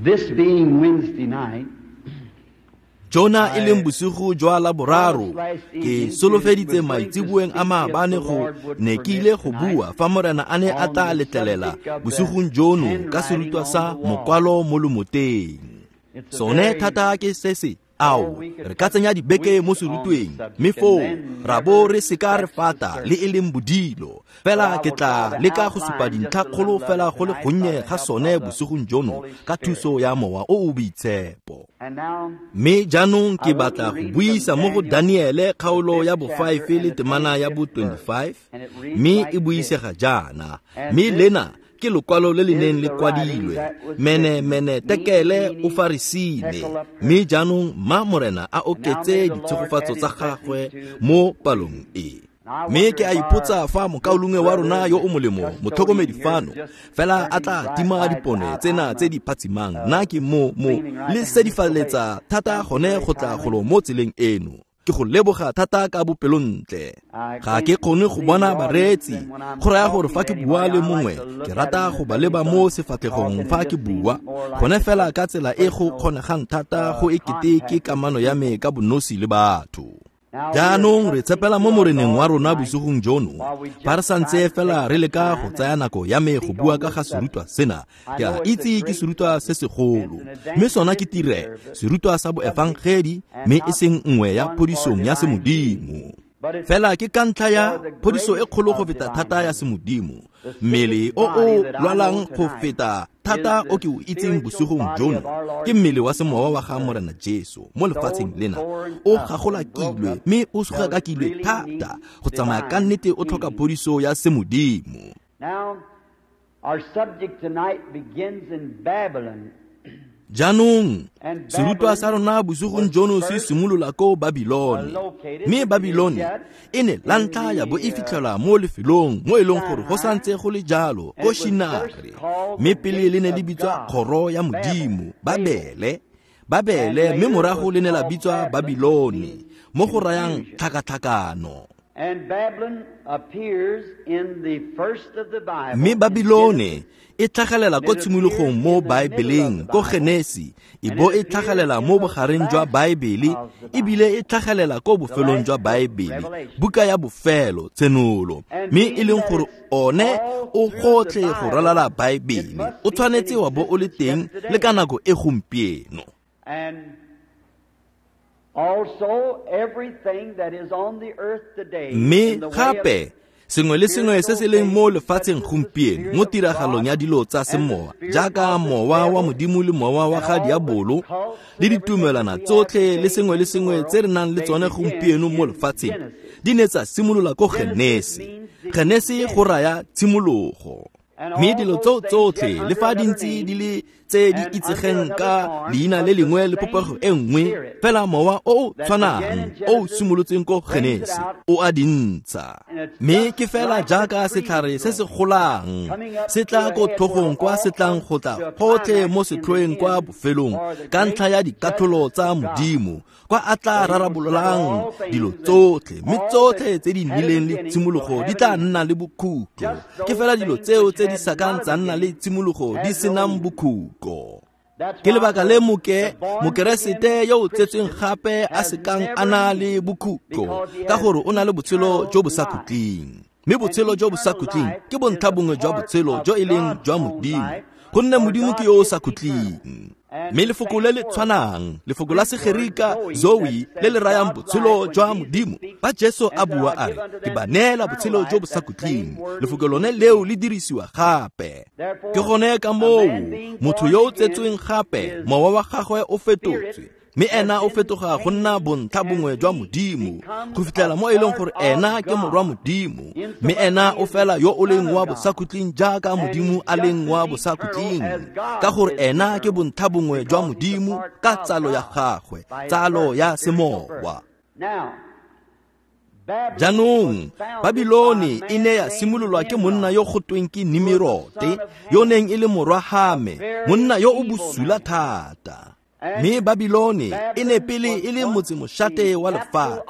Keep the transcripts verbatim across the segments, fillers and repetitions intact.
This being Wednesday night, Jona e leng bosigo jwa Laboraro, ke solofeditse maitseboeng a maabane go ne ke ile go bua fa Morena a ne a tla letlelela bosigong jono ka serutwa sa mokwalo mo lomoteng. Sone thata ke se se ao re ka tsenya dibeke mo serutweng, mme foo ra bo re seka re fata le e leng bodilo. Fela ke tla leka go supa dintlhakgolo fela go le gonnye ga sone bosigong jono ka thuso ya Mowa o o Boitshepo. Mme jaanong ke batla go buisa mo go Daniele kgaolo ya bo five le temana ya bo twenty-five, mme e buisega jaana. Mme lena ke lokwalo le le neng le kwadilwe, mene mene tekele o farisile. Mme jaanong ma Morena a oketse ditshegofatso tsa gagwe mo palong e. Mme ke a ipotsa fa mokaulengwe wa rona yo o molemo, motlhokomedi fano, fela a tla tima dipone tsena tse di phatsimang. Nna ke mo mo le sedifaletsa thata gone go tla golo mo tseleng eno. Ke go leboga thata ka bopelontle. Ga ke kgone go bona bareetsi, go raya gore fa ke bua le mongwe, ke rata go ba leba mo sefatlhegong fa ke bua, gone fela ka tsela e go kgonegang thata go e kete ke kamano ya me ka bonosi le batho. Jaanong re tshepela mo Moreneng wa rona bosigong jono, fa re santse fela re leka go tsaya nako ya me go bua ka ga serutwa sena. Ke a itse ke serutwa se segolo, mme sona ke tire serutwa sa boefangedi, mme e seng nngwe ya phodisong ya semodimo. Fela ke ka ntlha ya phodiso e kgolo go feta thata ya semodimo, mmele o o lwalang go feta thata o ke o itseng bosigong jono ke mmele wa semowa wa ga Morena Jesu mo lefatsheng lena. O gagolakilwe mme o sugakakilwe thata go tsamaya ka nnete o tlhoka phodiso ya semodimo. Now, our subject tonight begins in Babylon. Jaanong serutwa sa rona bosigong jono se simolola ko Babilone. Mme Babilone e ne la ntlha ya bo e fitlhelwa mo lefelong mo e leng gore go santse go le jalo ko Shinare, mme pele le ne le bitswa kgoro ya Modimo, Babele, Babele, mme morago le ne la bitswa Babilone, mo go rayang tlhakatlhakano. And Babylon appears in the first of the Bible. Mme Babilone e tlhagelela ko tshimologong mo Baebeleng, ko Genesi, e bo e tlhagelela mo bogareng jwa Baebele, ebile e tlhagelela ko bofelong jwa Baebele, buka ya bofelo, Tshenolo. Mme e leng gore one o gotlhe go ralala Baebele, o tshwanetse wa bo o le teng le ka nako e gompieno. And also everything that is on the earth today, Mme gape sengwe le sengwe se se leng mo lefatsheng gompieno mo tiragalong ya dilo tsa semowa, jaaka mowa wa Modimo le mowa wa ga diabolo, le ditumelwana tsotlhe le sengwe le sengwe tse re nang le tsone gompieno mo lefatsheng, di ne tsa simolola ko Genesi. Genesi go raya tshimologo. Mme dilo tseo tsotlhe le fa di ntse di le tse di itsegeng ka leina le lengwe le popego e nngwe, fela mowa o o tshwanang o o simolotseng ko Genesi o a di ntsha. Mme ke fela jaaka setlhare se se golang se tla ko tlhogong kwa se tlang go tla gotlhe mo setlhoeng kwa bofelong ka ntlha ya dikatlholo tsa Modimo, kwa a tla rarabololang dilo tsotlhe, mme tsotlhe tse di nnileng le tshimologo di tla nna le bokhutlo. Ke fela dilo tseo tse di sakang tsa nna le tshimologo di senang bokhutlo. Ke lebaka le moke mokeresete yo o tsetsweng gape a sekang a na le bokhutlo, ka gore o na le botshelo jo bo sa khutleng. Mme botshelo jo bo sa khutleng ke bontlha bongwe jwa botshelo jo e leng jwa Modimo, gonne Modimo ke yo o sa khutleng. Mme lefoko le le tshwanang, lefoko la Segerika zoe, le le rayang botshelo jwa Modimo, fa Jesu a bua a re, ke ba neela botshelo jo bo sa khutleng, lefoko lone leo le dirisiwa gape. Ke gone ka moo motho yo o tsetsweng gape, mowa wa gagwe o fetotswe, mme ena o fetoga go nna bontlha bongwe jwa Modimo, go fitlhela mo e leng gore ena ke morwa Modimo, mme ena o fela yo o leng wa bosakhutleng jaaka Modimo a leng wa bosakhutleng, ka gore ena ke bontlha bongwe jwa Modimo ka tsalo ya gagwe, tsalo ya semowa. Jaanong Babilone e ne ya simololwa ke monna yo go tweng ke Nimirote, yo neng e le morwa Hame, monna yo o bosula thata. Mme Babilone e ne pele e le motsemošate wa lefatshe.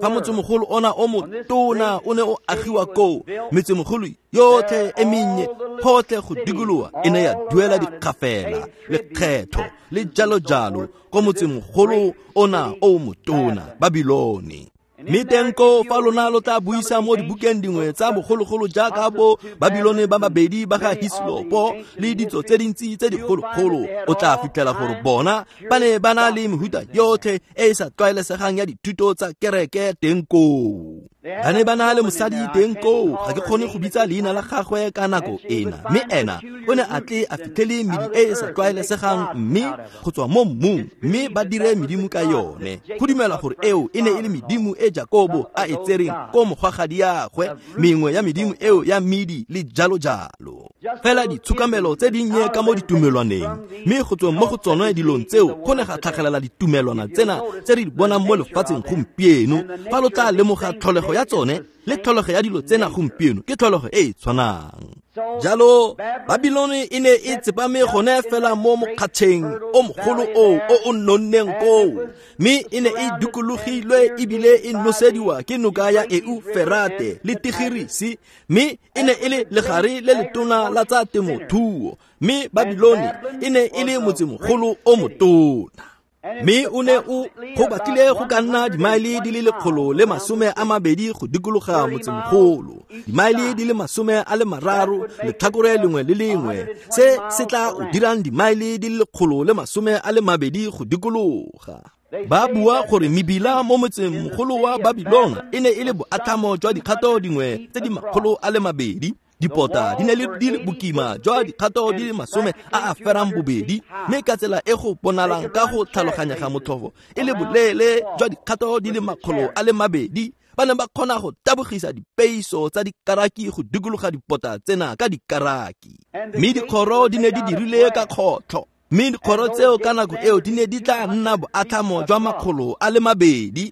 Fa motsemogolo ona o motona o ne o agiwa koo, metsemogolo yotlhe e mennye gotlhe go dikologa e ne ya duela dikgafela, lekgetho le jalo-jalo ko motsemogolo ona o motona, Babilone. Mme teng koo fa lona lo tla buisa mo dibukeng dingwe tsa bogologolo jaaka bo Babilone ba babedi ba ga Hislopo le ditso tse dintsi tse dikgologolo, o tla fitlhela gore bona ba ne ba na le mehuta yotlhe e e sa tlwaelesegang ya dithuto tsa kereke teng koo. Ba ne ba na le mosadi teng koo, ga ke kgone go bitsa leina la gagwe ka nako ena, mme ena o ne a tle a fitlhele medi e e sa tlwaelesegang mme go tswa mo mmung, mme ba dire medimo ka yone. Go dumela gore eo e ne e le medimo e Jakobo a e tsereng ko mogwagadiagwe, mengwe ya medimo eo ya medi le jalo-jalo. Fela ditshokamelo tse dinnye ka mo ditumelwaneng, mme go tsweng mo go tsone dilong tseo go ne ga tlhagelela ditumelwana tsena tse re di bonang mo lefatsheng gompieno. Fa lo tla lemoga tlholego ya tsone le tlholego ya dilo tsena gompieno ke tlholego e e tshwanang. Jalo Babilone e ne e tsepame gone fela mo mokgatšheng o mogolo oo o o nonneng koo, mme e ne e dikologilwe ebile e nosediwa ke noka ya Euferate le Tigirisi, mme e ne e le legare le letona la tsa temothuo, mme Babilone e ne e le motsemogolo o motona. Mme o ne o go batlile go ka nna dimaele di le lekgolo le masome a mabedi go dikologa motsemogolo, dimaele di le masome a le mararo letlhakore lengwe le lengwe, se se tla o dirang dimaele di le lekgolo le masome a le mabedi go dikologa. Ba bua gore mebila mo motsemogolo wa Babilona e ne e le boatlhamo jwa dikgato dingwe tse di makgolo a le mabedi. Dipota di ne di le bokima jwa dikgato di le masome a a ferang bobedi, mme ka tsela e go bonalang ka go tlhaloganyega motlhofo e le boleele jwa dikgato di le makgolo a le mabedi. Ba ne ba kgona go tabogisa dipeiso tsa dikaraki go dikologa dipota tsena ka dikaraki, mme dikgoro di ne di dirile ka kgotlho, mme dikgoro tseo ka nako eo di ne di tla nna boatlhamo jwa makgolo a le mabedi.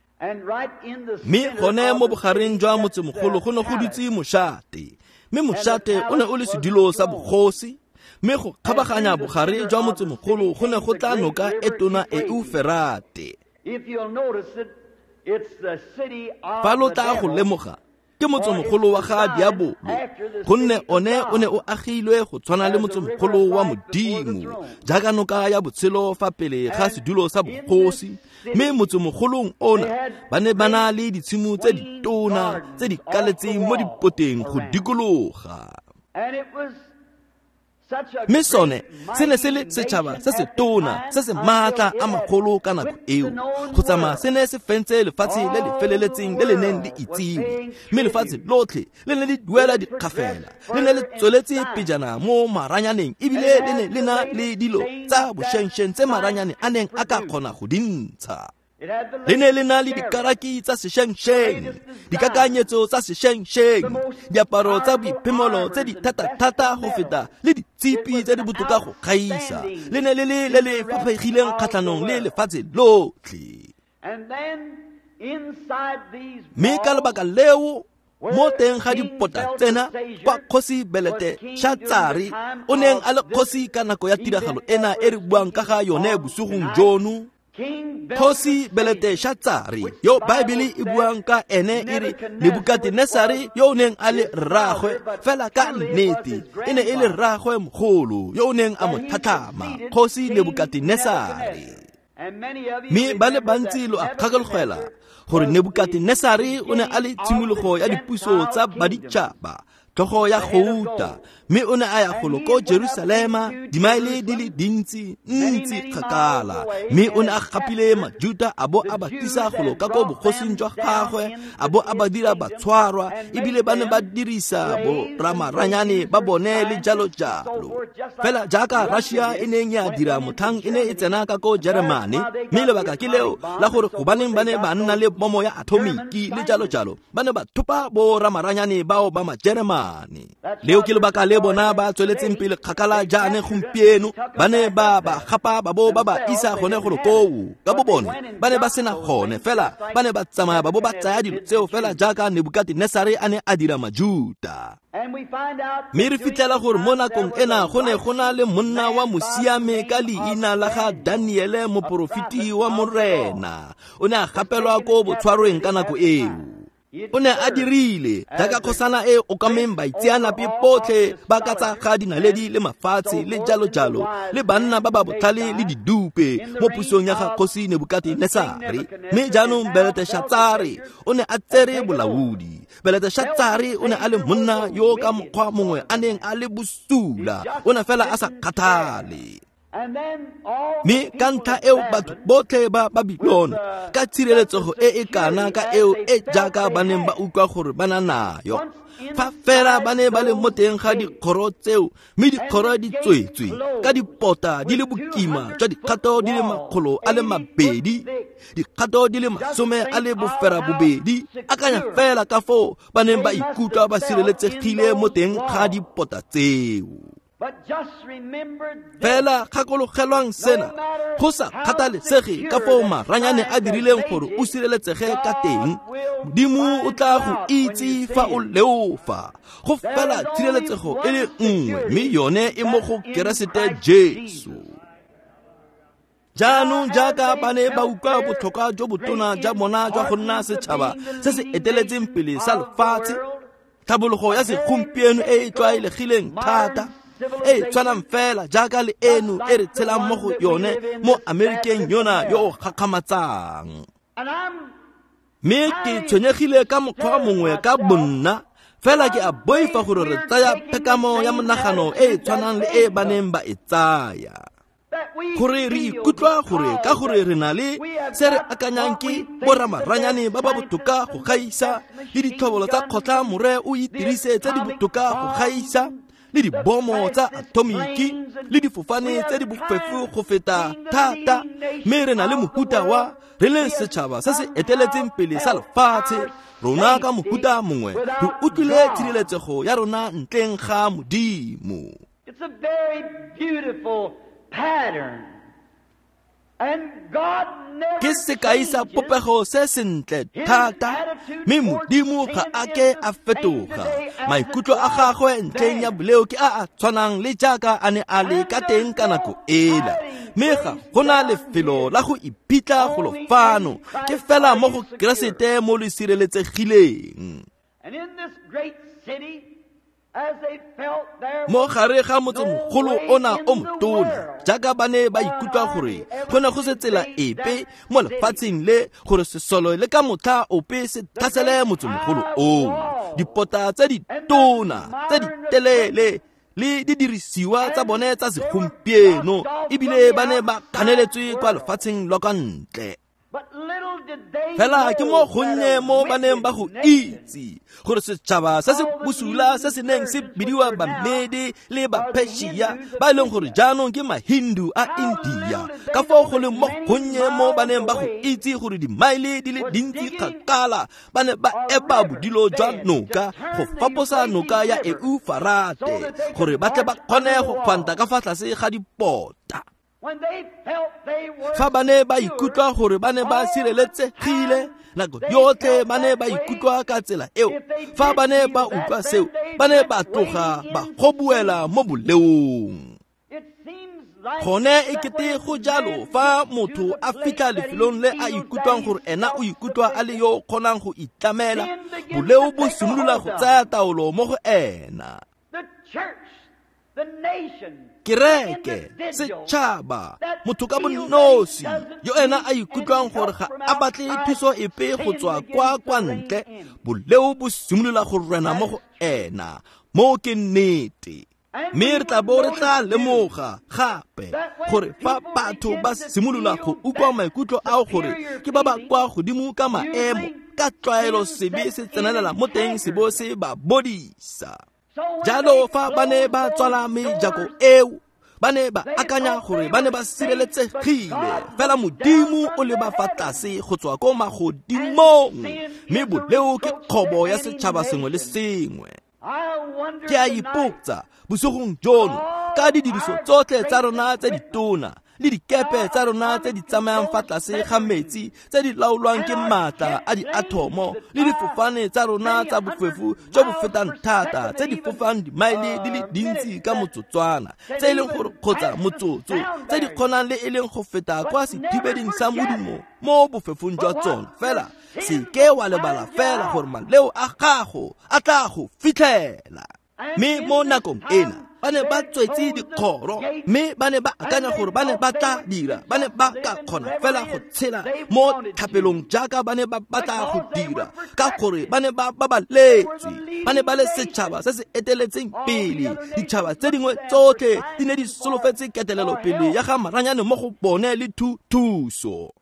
Mme gone mo bogareng jwa motsemogolo go ne go dutse mošate, mme mošate o ne o le sedilo sa bogosi, mme go kgabaganya bogare jwa motsemogolo go ne go tla noka e tona Euferate. Fa lo tla go lemoga, ke motsemogolo wa ga Diabolo, gonne one o ne o agilwe go tshwana le motsemogolo wa Modimo, jaaka noka ya botshelo fa pele ga sedulo sa bogosi. Mme motsemogolong ona ba ne ba na le ditshimo tse ditona tse di kaletseng mo dipoteng go dikologa. Mme sone se ne se le setšhaba se se tona se se maatla a magolo ka nako eo, go tsamaya se ne se fentse lefatshe le le feleletseng le le neng le itsiwe, mme lefatshe lotlhe le ne le duela dikgafela, le ne le tsweletse pejana mo maranyaneng, ebile le ne le na le dilo tsa bošenšeng tse maranyane a neng a ka kgona go di ntsha. Le ne le na le dikaraki tsa sešengšeng, dikakanyetso tsa sešengšeng, diaparo tsa boiphemolo tse di thata-thata go feta le ditshipi tse di botoka go gaisa. Le ne le le le le faphegileng kgatlhanong le lefatshe lotlhe. Mme ka lebaka leo, mo teng ga dipota tsena kwa kgosi Belete-Shatsare o neng a le kgosi ka nako ya tiragalo ena e re buang ka ga yone bosigong jono, Kgosi Belete-Shatsare yo Baebele e buang ka ene e re Nebukatenesare yo o neng a le rraagwe, fela ka nnete e ne e le rraagwe mogolo yo o neng a mo tlhatlhama, Kgosi Nebukatenesare. Mme ba le bantsi lo a kgakologela gore Nebukatenesare o ne a le tshimologo ya dipuso tsa baditšhaba, tlhogo ya gouta, mme o ne a ya golo ko Jerusalema dimaele di le dintsi ntsi kgakala, mme o ne a gapile Majuta a bo a ba tlisa golo ka ko bogosing jwa gagwe, a bo a ba dira batshwarwa, ebile ba ne ba dirisa boramaranyane ba bone le jalo-jalo. Fela jaaka Russia e neng ya dira motlhang e ne e tsena ka ko Jeremane, mme lebaka ke leo la gore gobaneng ba ne ba nna le bomo ya atomiki le jalo-jalo, ba ne ba thopa boramaranyane bao ba Majeremane. Leo ke lebaka le bona ba tsweletseng pele kgakala jaane gompieno, ba ne ba ba gapa ba bo ba ba isa gone golo koo ka bo bone. Ba ne ba sena gone, fela ba ne ba tsamaya ba bo ba tsaya dilo tseo fela jaaka Nebukatenesare a ne a dira Majuta. Mme re fitlhela gore mo nakong ena go ne go na le monna wa mosiame ka leina la ga Daniele, moporofeti wa Morena. O ne a gapelwa ko botshwarweng ka nako eo. O ne a dirile jaaka kgosana e okameng baitseanape botlhe ba ka tsa ga dinaledi le mafatshe le jalo jalo, le banna ba ba botlhale le didupe mo pusong ya ga kgosi Nebukatenesare. Mme jaanong Beleteshatsare o ne a tsere bolaodi. Beleteshatsare o ne a le monna yo ka mokgwa mongwe a neng a le bosula, o ne fela a sa kgathale. Mme ka ntlha eo batho botlhe ba Babilone ka tshireletsego e e kana ka eo e jaaka ba neng ba utlwa gore ba na nayo, fa fela ba ne ba le mo teng ga dikgoro tseo, mme dikgoro di tswetswe ka dipota di le bokima jwa dikgato di le makgolo a le mabedi, dikgato di le masome a le boferabobedi. Akanya fela ka foo ba neng ba ikutlwa ba sireletsegile mo teng ga dipota tseo. Fela gakologelwang sena, go sa kgathalesege ka foo maranyane a dirileng gore o sireletsege ka teng, Modimo o tla go itse fa o leofa. Go fela tshireletsego e le nngwe, mme yone e mo go Keresete Jesu. Jaanong jaaka ba ne ba utlwa botlhokwa jo botona jwa bona jwa go nna setšhaba se se eteletseng pele sa lefatshe, tlhabologo ya segompieno e e tlwaelegileng thata, e tshwanang fela jaaka le eno e re tshelang mo go yone mo Amerikeng yona yo o gakgamatsang. Mme ke tshwenyegile ka mokgwa mongwe ka bonna, fela ke a boifa gore re tsaya phekamo ya monagano e e tshwanang le e ba neng ba e tsaya, gore re ikutlwa gore ka gore re na le se re akanyang ke boramaranyane ba ba botoka go gaisa, le ditlhobolo tsa kgotla more o itirise tse di botoka go gaisa, le dibomo tsa atomiki, le difofane tse di bofefo go feta thata. Mme re na le mohuta wa re le setšhaba se se eteletseng pele sa lefatshe. Rona ka mohuta mongwe re utlwile tshireletsego ya rona ntleng ga Modimo. It's a very beautiful pattern. And God never Ke sekai sa popego se sentle thata, mme Modimo ga a ke a fetoga. Maikutlo a gagwe ntleng ya boleo ke a a tshwanang le jaaka a ne a le ka teng ka nako ela. Mme ga go na lefelo la go iphitlha golo fano, ke fela mo go Keresete mo le sireletsegileng. And in this great city, as they felt there Mo gare ga motsemogolo ona o motona, jaaka ba ne ba ikutlwa gore go ne go se tsela epe mo lefatsheng le gore sesolo le ka motlha ope se tlhasele motsemogolo oo. Dipota tse ditona tse di telele le didirisiwa tsa bone tsa segompieno, ebile ba ne ba kganeletswe kwa lefatsheng lwa kwa ntle. But little did they Fela ke mo know gonnye that a mo ba neng ba go wicked itse gore setšhaba se se bosula se se neng se bidiwa Bamede le Bapersia, ba e leng gore jaanong ke Mahindu a India, ka foo go leng mo gonnye mo ba neng ba go itse gore dimaele di le dintsi kgakala ba ne ba epa bodilo jwa noka go faposa noka ya Eufarate gore ba tle ba kgone go kgwanta ka fa tlase ga dipota. When they felt they were Fa ba ne ba ikutlwa gore ba ne ba sireletsegile nako yotlhe, ba ne ba ikutlwa ka tsela eo. Fa ba ne ba utlwa seo, ba ne ba tloga ba gobuela mo boleong. It seems like Gone e kete go jalo fa motho a fitlha lefelong le a ikutlwang gore ena o ikutlwa a le yo o kgonang go itlamela, boleo bo simolola go tsaya taolo mo go ena. the church, the nation, Kereke, setšhaba, motho ka bonosi yo ena a ikutlwang gore ga a batle thuso epe go tswa kwa kwa ntle, boleo bo simolola go rena mo go ena. Mo ke nnete. Mme re tla bo re tla lemoga gape gore fa batho ba simolola go utlwa maikutlo ao gore ke ba ba kwa godimo ka maemo, ka tlwaelo sebe se tsenelela mo teng se bo se ba bodisa. Jalo fa ba ne ba tswala mejako eo, ba ne ba akanya gore ba ne ba sireletsegile, fela Modimo o le ba fa tlase go tswa ko magodimong, mme boleo ke kgobo ya setšhaba sengwe le sengwe. Ke a ipotsa bosigong jono ka didiriso tsotlhe tsa rona tse ditona le dikepe tsa rona tse di tsamayang fa tlase ga metsi tse di laolwang ke maatla a diathomo le difofane tsa rona tsa bofefo jo bo fetang thata tse di fofang dimaele di le dintsi ka motsotswana tse e leng gore kgotsa motsotso tse di kgonang le e leng go feta kwa sethibeding sa modumo mo bofefong jwa tsona. Fela se ke wa lebala fela gore maleo a gago a tla go fitlhela. Mme mo nakong ena ba ne ba tswetse dikgoro, mme ba ne ba akanya gore ba ne ba tla dira, ba ne ba ka kgona fela go tshela mo thapelong jaaka ba ne ba batla go dira, ka gore ba ne ba babaletswe, ba ne ba le setšhaba se se eteletseng pele. Ditšhaba tse dingwe tsotlhe di ne di solofetse ketelelo pele ya ga maranyane mo go bone le thuso.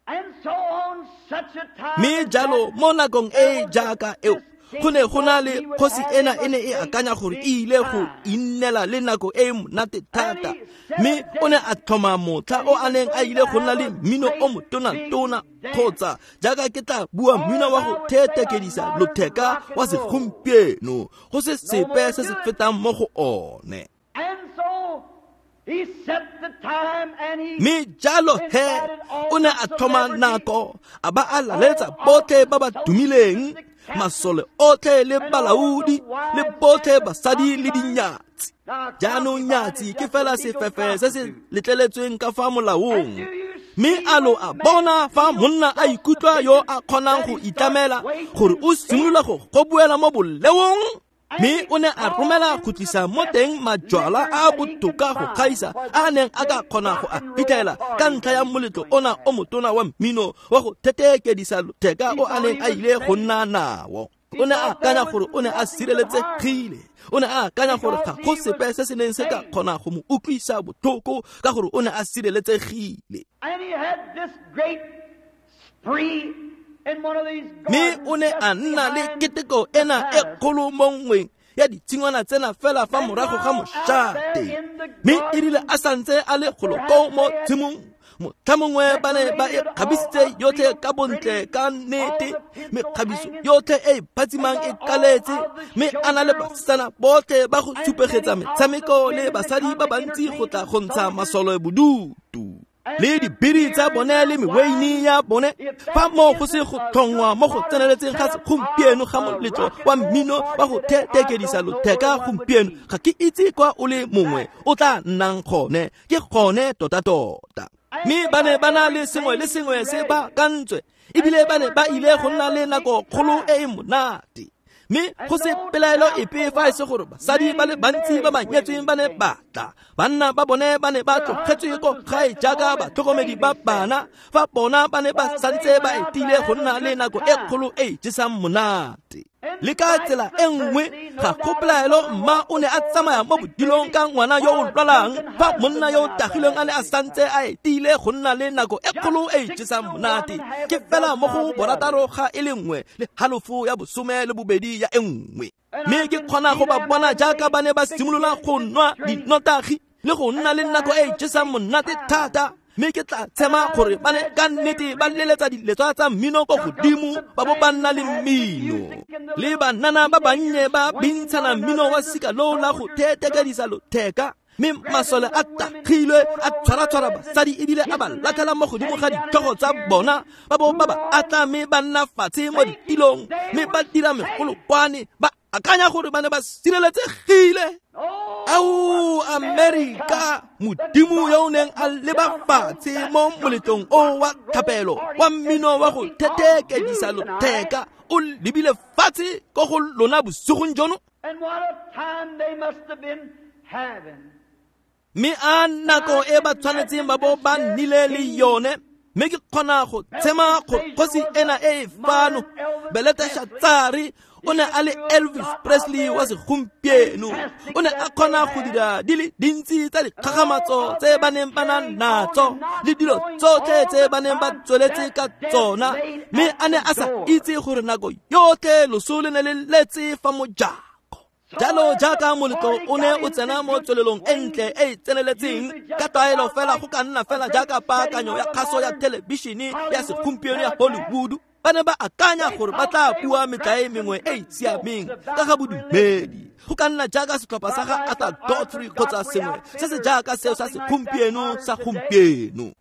Mme jalo mo nakong e jaaka eo go ne go na le kgosi ena e ne e akanya gore e ile go innela le nako e monate thata, mme o ne a tlhoma motlha o a neng a ile go nna le mmino o motona-tona kgotsa jaaka ke tla bua mmino wa go thethekedisa lotheka wa segompieno, go se sepe se se fetang mo go one. Mme jalo he o ne a tlhoma nako a ba a laletsa botlhe ba ba tumileng, masole otlhe le balaodi le botlhe basadi le dinyatsi. Jaanong nyatsi ke fela sefefe se se letleletsweng ka fa molaong. Mme a lo a bona fa monna a ikutlwa yo a kgonang go itlamela gore o simolola go gobuela mo boleong. Mme o ne a romela go tlisa mo teng majwala a botoka go gaisa a neng a ka kgona go a fitlhela ka ntlha ya moletlo ona o motona wa mmino wa go thethekedisa lotheka o a neng a ile go nna nao. O ne a akanya gore o ne a sireletsegile. O ne a akanya gore ga go sepe se se neng se ka kgona go mo utlwisa botlhoko ka gore o ne a sireletsegile. Mme o ne a nna le keteko ena e kgolo mo nngweng ya ditshingwana tsena fela fa morago ga mošate. Mme e rile a santse a le golo koo mo tshimong, motlha mongwe ba ne ba e kgabisitse yotlhe ka bontle ka nnete, mekgabiso yotlhe e e phatsimang e kaletse, mme a na le basetsana botlhe ba go supegetsa metshameko le basadi ba bantsi go tla go ntsha masole bodutu le dibiri tsa bone le meweine ya bone. Fa mo go se go tlhongwa mo go tseneletseng ga segompieno ga moletlo wa mmino wa go thethekedisa lotheka gompieno, ga ke itse kwa o le mongwe o tla nnang gone, ke gone tota-tota. Mme ba ne ba na le sengwe le sengwe se ba kantswe, ebile ba ne ba ile go nna le nako kgolo e e monate. Mme go se pelaelo epe fa e se gore basadi ba le bantsi ba ba nyetsweng ba ne ba tla, banna ba bone ba ne ba tlogetswe ko gae jaaka batlhokomedi ba bana, fa bona ba ne ba santse ba etile go nna le nako e kgolo e jesang monate. Le ka tsela e nngwe ga go pelaelo mma o ne a tsamaya mo bodilong ka ngwana yo o lwalang, fa monna yo o tagileng a ne a santse a etile go nna le nako e kgolo e jesang monate. Ke fela mo go borataro ga e le nngwe le halofo ya bosome le bobedi ya e nngwe. Mme ke kgona go ba bona jaaka ba ne ba simolola go nwa dinotagi le go nna le nako e jesang monate thata. Mme ke tla tshema gore ba ne ka nnete ba leletsa diletswa tsa mmino ko godimo ba bo ba nna le mmino. Le banana ba bannye ba bintshana mmino wa sika loo la go thethekedisa lotheka. Mme masole a tagilwe a tshwara-tshwara basadi ebile a ba latlhela mo godimo ga ditlhogo tsa bona, ba bo ba ba atla mme ba nna fatshe mo ditilong, mme ba dira megolokwane ba akanya gore ba ne ba sireletsegile. Ao Amerika, modimo yo o neng a leba fatshe mo moletlong o wa thapelo wa mmino wa go thethekedisa lotheka o lebile fatshe ko go lona bosigong jono. Mme a nako e ba tshwanetseng ba bo ba nnile le yone. Mme ke kgona go tshema gore kgosi ena e e fano Beleteshatsare o ne a le Elvis Presley wa segompieno. O ne a kgona go dira di le dintsi tsa dikgakgamatso tse ba neng ba na natso le dilo tsotlhe tse ba neng ba tsweletse ka tsona, mme a ne a sa itse gore nako yotlhe loso le ne le letse fa mojako. Jalo jaaka moletlo o ne o tsena mo tswelelong e ntle e e tseneletseng ka tlwaelo fela go ka nna fela jaaka paakanyo ya kgaso ya thelebišene ya segompieno ya Hollywood. Ba ne ba akanya gore ba tla bua metlae mengwe e e siameng ka ga bodumedi. Go ka nna jaaka setlhopha sa ga Arthur Godfrey kgotsa sengwe se se jaaka seo sa segompieno sa gompieno,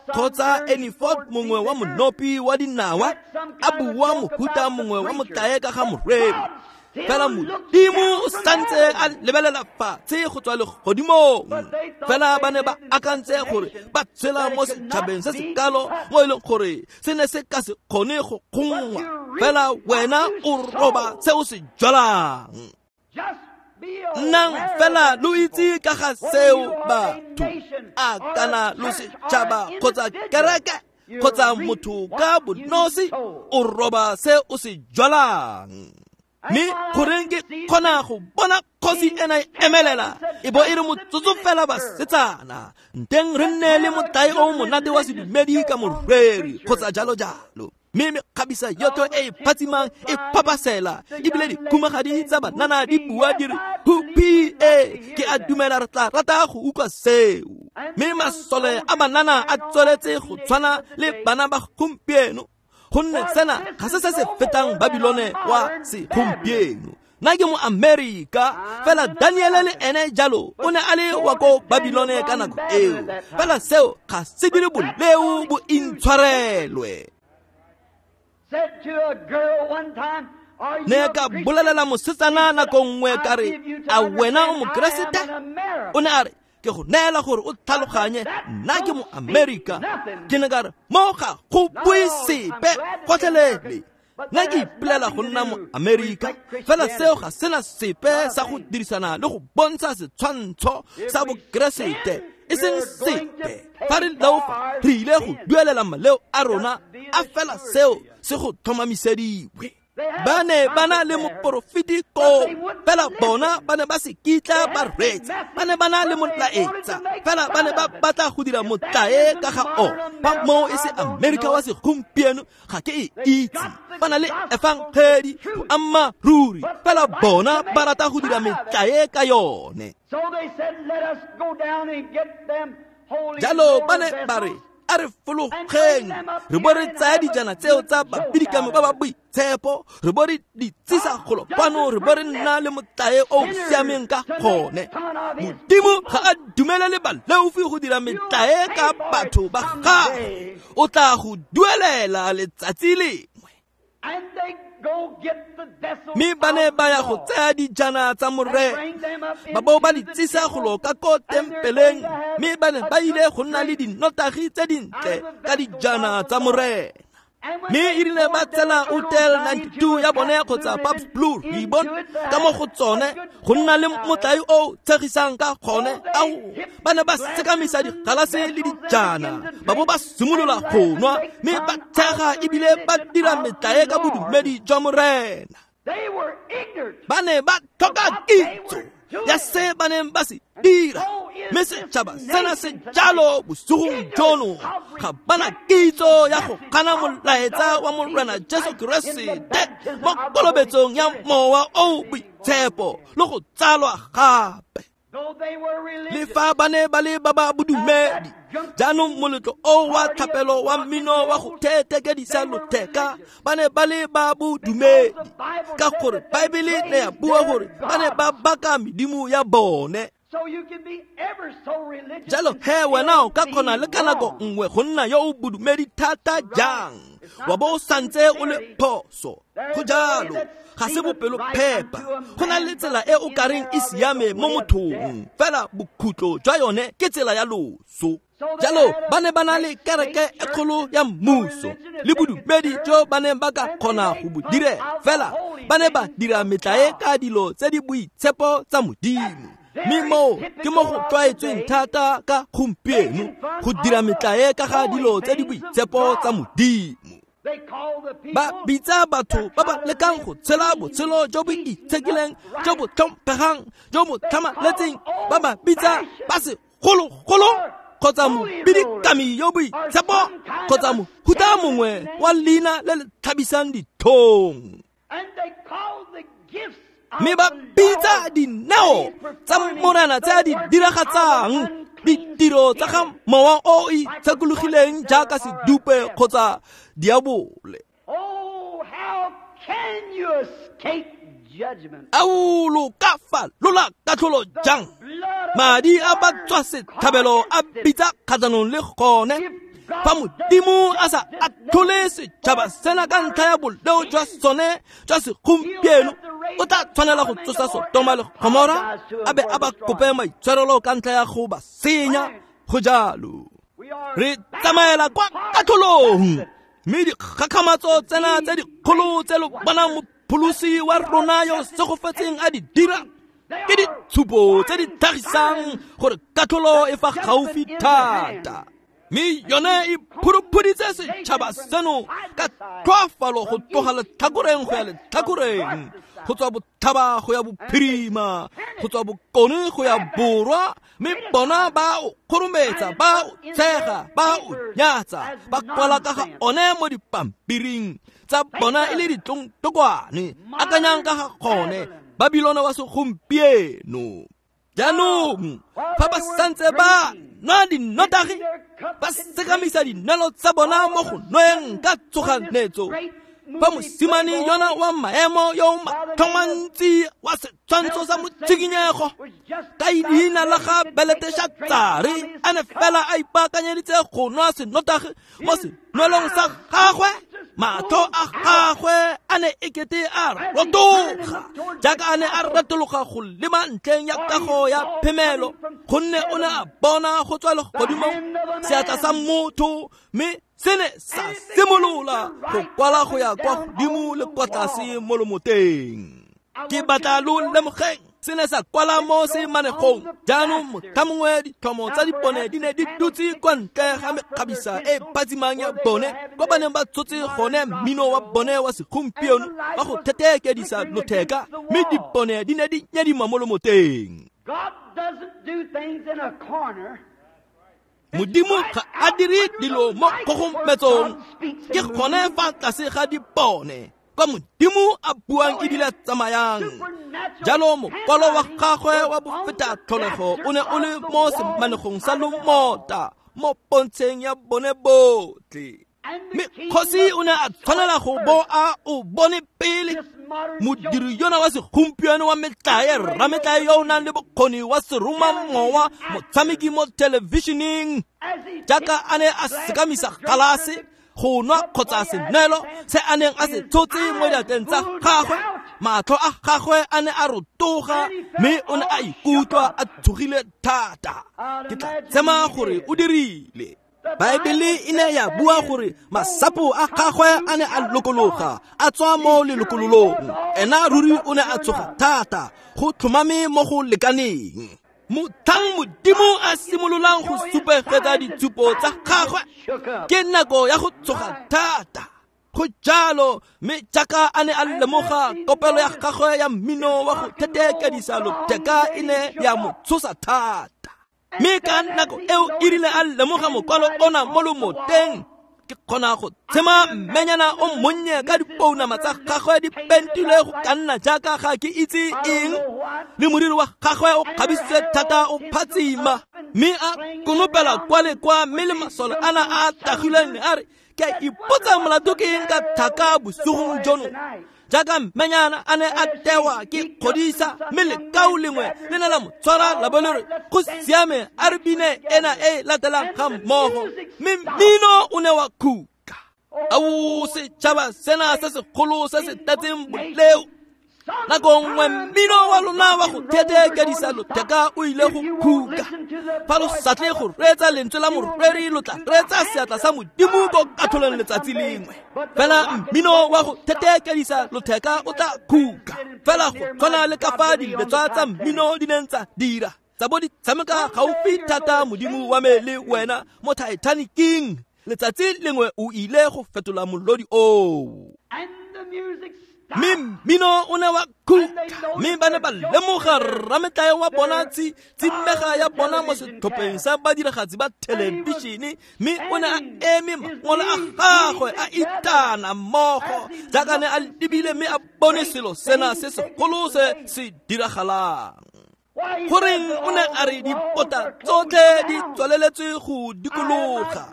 kgotsa Annie Ford mongwe wa monopi wa dinawa a bua mohuta mongwe wa motlae ka ga moreri. Fela Modimo o santse a lebelela fatshe go tswa legodimong. Fela ba ne ba akantse gore ba tshela mo setšhabeng se se kalo mo e leng gore se ne se ka se kgone go kgongwa. Fela wena o roba se o se jwalang. Nnang fela lo itse ka ga seo batho, a kana lo setšhaba kgotsa kereke kgotsa motho ka bonosi, o roba se o se jwalang. Mme goreng ke kgona go bona kgosi ena e emelela e bo e re motsotso fela basetsana, nteng re nne le motlae o monate wa sedumedi ka moreri kgotsa jalo jalo. Mme mekgabisa yotlhe e e phatsimang e phapasela, ebile dikhumagadi tsa banana di bua di re hupi e, ke a dumela re tla rata go utlwa seo. Mme masole a banana a tsweletse go tshwana le bana ba gompieno, gonne sena ga se se se fetang Babilone wa segompieno. Nna ke mo Amerika, fela Daniele le ene jalo o ne a le wa ko Babilone ka nako eo. Fela seo ga se dire boleo bo intshwarelwe. Ne ka bolelela mosetsana nako nngwe ka re, a wena o Mokeresete? O ne a re, ke go neela gore o tlhaloganye, nna ke mo Amerika. Ke ne ka re, mo ga go bue sepe gotlhelele. Nna ke ipolela go nna mo Amerika, fela seo ga sena sepe sa go dirisana le go bontsha setshwantsho sa Bokeresete, e seng sepe. Fa re leofa, re ile go duelela maleo a rona, a fela seo se go tlhomamisediwe. Ba ne ba na le moporofeti koo, fela bona ba ne ba se kitla ba reetsa. Ba ne ba na le molaetsa, fela ba ne ba batla go dira motlae ka ga o. Fa moo e se Amerika wa segompieno, ga ke e itse. Ba na le efangedi boammaaruri, fela bona ba rata go dira metlae ka yone. Jalo ba ne ba re, a re fologeng, re bo re tsaya dijana tseo tsa bapidikami ba ba boitshepo, re bo re di tsisa golo kwano, re bo re nna le motlae o o siameng ka gone. Modimo ga a dumelele baleofi go dira metlae ka batho ba gagwe, o tla go duelela letsatsi lengwe. Mme ba ne ba ya go tsaya dijana tsa morena, ba bo ba di tsisa golo ka ko tempeleng, mme ba ne ba ile go nna le dinotagi tse dintle ka dijana tsa morena. Mme e rile ba tsela Hotel ninety-two ya bone kgotsa Pabst Blue Ribbon ka mo go tsone go nna le motlae o tshegisang ka gone, ao ba ne ba sekamisa digalase le dijana, ba bo ba simolola go nwa, mme ba tshega ebile ba dira metlae ka bodumedi jwa morena. Ba ne ba tlhoka kitso ya se ba neng ba se dira, mme setšhaba sena se jalo bosigong jono ga bana kitso ya go gana molaetsa wa Morena Jesu Keresete mo kolobetsong ya Mowa o Boitshepo le go tsalwa gape. Le fa ba ne ba le ba ba bodumedi, jaanong moletlo o wa thapelo wa mmino wa go thethekedisa lotheka, ba ne ba le ba bodumedi, ka gore Baebele ne ya bua gore ba ne ba baka medimo ya bone. Jalo he wena o ka kgona le ka nako nngwe go nna yo o bodumedi thata jang, wa bo o santse o le phoso. Go jalo, ga se bopelophepa. Go na le tsela e o kareng e siame mo mothong, fela bokhutlo jwa yone ke tsela ya loso. Jalo ba ne ba na le kereke e kgolo ya mmuso le bodumedi jo ba neng ba ka kgona go bo direla, fela ba ne ba dira metlae ka dilo tse di boitshepo tsa Modimo. Mme moo ke mo go tlwaetsweng thata ka gompieno go dira metlae ka ga dilo tse di boitshepo tsa Modimo. Ba bitsa batho ba ba lekang go tshela botshelo jo bo itshekileng, jo bo tlhomphegang, jo bo tlhamaletseng, ba ba bitsa ba segologolo kgotsa mobidikami yo boitshepo kgotsa mohuta mongwe wa leina le le tlhabisang ditlhong. Mme ba bitsa dineo tsa Morena tse a di diragatsang, ditiro tsa ga Mowa o o itshekologileng jaaka sedupe kgotsa diabole. Ao lo ka falola katlholo jang? Madi a ba tswa setlhabelo a bitsa kgatlhanong le gone. Fa Modimo a sa atlhole setšhaba sena ka ntlha ya boleo jwa sone jwa segompieno, o tla tshwanela go tsosa Sotoma le Gomora a be a ba kope maitshwarelo ka ntlha ya go ba senya. Go jalo re tsamaela kwa katlholong, mme dikgakgamatso tsena tse dikgolo tse lo bonang mopholosi wa rona yo segofetseng a di dira ke ditshupo tse di tlhagisang gore katlholo e fa gaufi thata. Mme yone e phuruphuritse setšhaba seno ka tlhoafalo go tloga letlhakoreng go ya letlhakoreng, go tswa botlhaba go ya bophirima, go tswa bokone go ya borwa, mme bona ba o kgorometsa, ba o tshega, ba o nyatsa, ba kwala ka ga one mo dipampiring tsa bona e le ditlongtokwane. Akanyang ka ga gone, Babilona wa segompieno. Jaanong fa ba santse ba nwa dinotagi, ba sekamisa dinelo tsa bona mo go nweng ka tshoganyetso, fa mosimane yona wa maemo yo matlhomantsi wa setshwantsho sa motshikinyego ka leina la ga Beletešatsare a ne fela a ipaakanyeditse go nwa senotagi mo senwelong sa gagwe, matlho a gagwe a ne ekete a rotoga jaaka a ne a retologa go lema ntlheng ya kago ya phemelo, gonne o ne a bona go tswa legodimong seatla sa motho, mme se ne sa simolola go kwala go ya kwa godimo le kwa tlase mo lomoteng. Ke batla lo lemogeng, se ne sa kwala mo semanegong. Jaanong motlha mongwe ditlhomo tsa dipone di ne di dutse kwa ntle ga mekgabisa e phatsimang ya bone, kwa ba neng ba tshotse gone mmino wa bone wa segompieno wa go thetheekedisa lotheka, mme dipone di ne di nyadima mo lomoteng. Modimo ga a dire dilo mo kgogometsong, ke gone fa tlase ga dipone kwa Modimo a buang ebile a tsamayang. Jalo mokwalo wa gagwe wa bofeta tlholego o ne o le mo semanegong sa lomota mo pontsheng ya bone botlhe. Mme kgosi o ne a tshwanela go bo a o bone pele. Modiri yona wa segompieno wa metlae, rametlae yo o nang le bokgoni wa seromamowa, motshameki mo thelebišeneng, jaaka a ne a sekamisa galase go nwa kgotsa senwelo se a neng a se tshotse mo diatleng tsa gagwe, matlho a gagwe a ne a rotoga, mme o ne a ikutlwa a tshogile thata. Ke tla tsema gore o dirile. Baebele e ne ya bua gore masapo a gagwe a ne a lokologa a tswa mo lelokololong. Ena ruri o ne a tsoga thata go tlhomame mo go lekaneng. Motlhang Modimo a simololang go supegetsa ditshupo tsa gagwe, ke nako ya go tsoga thata. Go jalo, mme jaaka a ne a lemoga kopelo ya gagwe ya mmino wa go thetheekedisa lotheka e ne ya mo tshosa thata. Mme ka nako eo e rile a lemoga mokwalo ona mo lomoteng, ke kgona go tshema mmenyana o monnye ka dipounama tsa gagwe di pentilwe go ka nna jaaka ga ke itse eng, le moriri wa gagwe o kgabisitswe thata o phatsima, mme a konopela kwa le kwa, mme le masole ana a tagilweng a re, ke a ipotsa molato ke eng ka thaka bosigong jono. Jaaka mmenyana a ne a tewa ke kgodisa, mme lekau lengwe le ne la mo tshwara la bo le re, go siame, a re bine ena e latelang ga mmogo, mme mmino o ne wa khuka. Ao setšhaba sena se segolo se se tletseng boleo, nako nngwe mmino wa lona wa go thetheekedisa lotheka o ile go khuka. Fa lo sa tle go reetsa lentswe la moreri, lo tla reetsa seatla sa Modimo ko katlholong letsatsi lengwe. Fela mmino wa go thetheekedisa lotheka o tla khuka, fela go tshwana le ka fa diletswa tsa mmino di neng tsa dira, tsa bo di tshameka gaufi thata Modimo wa me le wena mo Titanicing. Letsatsi lengwe o ile go fetola molodi oo. Mme mmino o ne wa khuka, mme ba ne ba lemoga rametlae wa bona tsimega ya bona mo setlhopheng sa badiragatsi ba thelebišene, mme o ne a eme mangole a gagwe a itana mmogo jaaka ne a lebile mme a bone selo sena se segolo se se diragalang. Goreng o ne a re dipota tsotlhe di tswaleletswe go dikologa.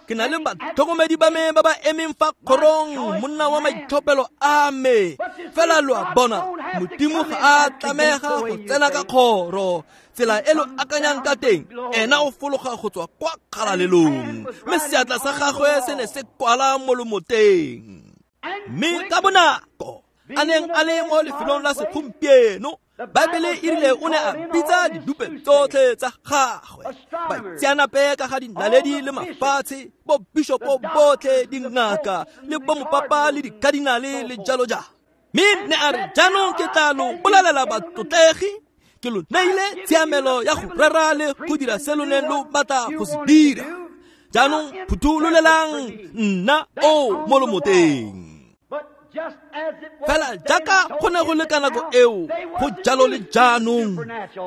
Ke na le batlhokomedi ba me ba ba emeng fa kgorong, monna wa maitlhophelo a me. Fela lo a bona, Modimo ga a tlamega go tsena ka kgoro. Tsela e lo akanyang ka teng, ena o fologa go tswa kwa kgalalelong. Mme seatla sa gagwe se ne se kwala mo lomoteng. Mme ka bonako a neng a le mo lefelong la segompieno, Baebele e rile o ne a bitsa didupe tsotlhe tsa gagwe, baitseanape ka ga dinaledi le mafatshe, bo bishopo botlhe, dingaka le bomopapa le dikadinale le jalo jalo. Mme ne a re, jaanong ke tla lo bolelela batlotlegi, ke lo neile tshiamelo ya go rera le go dira se lo neng lo batla go se dira. Jaanong phuthulolelang nna o mo lomoteng. Fela jaaka go ne go le ka nako eo, go jalo le jaanong.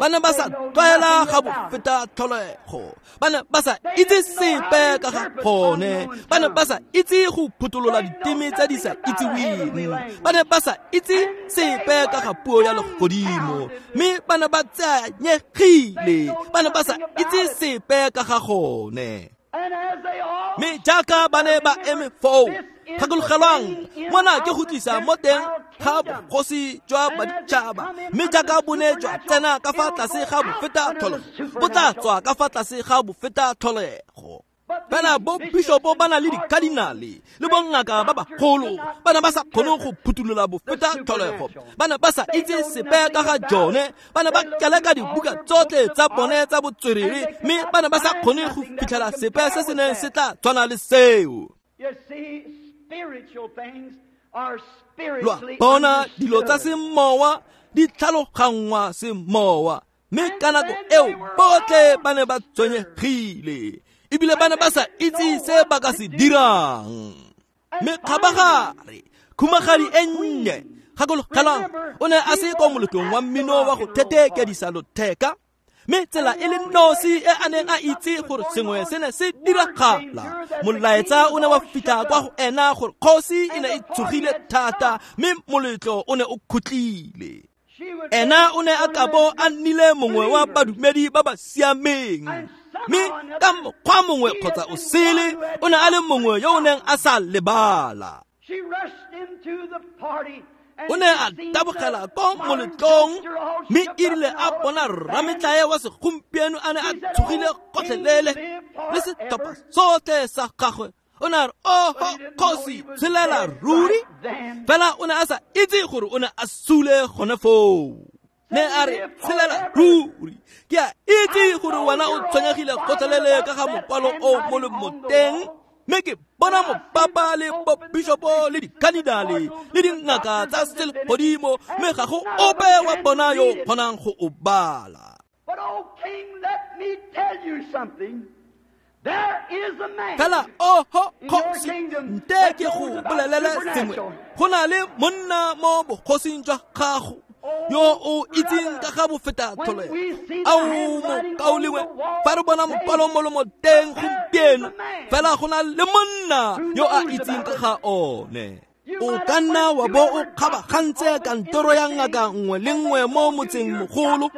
Ba ne ba sa tlwaela ga bofeta tlholego, ba ne ba sa itse sepe ka ga gone, ba ne ba sa itse go phuthulola diteme tse di sa itseweng, ba ne ba sa itse sepe ka ga puo ya legodimo, mme ba ne ba tseanyegile, ba ne ba sa itse sepe ka ga gone. Mme jaaka ba ne ba eme foo, gakologelwang, mona ke go tlisa mo teng ga bogosi jwa baditšhaba, mme jaaka bo ne jwa tsena ka fa tlase ga bofeta tlholego, bo tla tswa ka fa tlase ga bofeta tlholego. Fela bo bishopo ba na le dikadinale le bongaka ba bagolo, ba ne ba sa kgone go phuthulola bofeta tlholego, ba ne ba sa itse sepe ka ga jone, ba ne ba keleka dibuka tsotlhe tsa bone tsa botswerere, mme ba ne ba sa kgone go fitlhela sepe se se neng se tla tshwana le seo. Lo a bona, dilo tsa semowa di tlhaloganngwa semowa, mme ka nako eo botlhe ba ne ba tshwenyegile, ebile ba ne ba sa itse se ba ka se dirang. Mme kgabagare, khumagadi e nnye, gakologelang, o ne a se kwa moletlong wa mmino wa go thetheekedisa lotheka, mme tsela e le nosi e a neng a itse gore sengwe se ne se diragala, molaetsa o ne wa fitlha kwa go ena gore kgosi e ne e tshogile thata, mme moletlo o ne o khutlile. Ena o ne a kabo a nnile mongwe wa badumedi ba ba siameng, mme ka mokgwa mongwe kgotsa o sele o ne a le mongwe yo o neng a sa lebala. O ne a tabogela ko moletlong, mme e rile a bona rametlae wa segompieno a ne a tshogile gotlhelele le setlhopha sotlhe sa gagwe, o ne a re, oho kgosi, tshelela ruri. Fela o ne a sa itse gore o ne a sule gone foo. Ne a re, tshelela ruri, ke a itse gore wena o tshwenyegile gotlhelele ka ga mokwalo o mo lomoteng, mme ke bona mopapa le bobishopo le dikadinale le dingaka tsa selegodimo, mme ga go ope wa bona yo kgonang go o bala. Fela oho kgosi, nte ke go bolelele sengwe, go na le monna mo bogosing jwa gago yo o itseng ka ga bofeta tlholego. Ao mokaulengwe, fa re bona mokwalo mo lomoteng gompieno, fela go na le monna yo a itseng ka ga one. O ka nna wa bo o kgabagantse kantoro ya ngaka nngwe le nngwe mo motseng mogolo,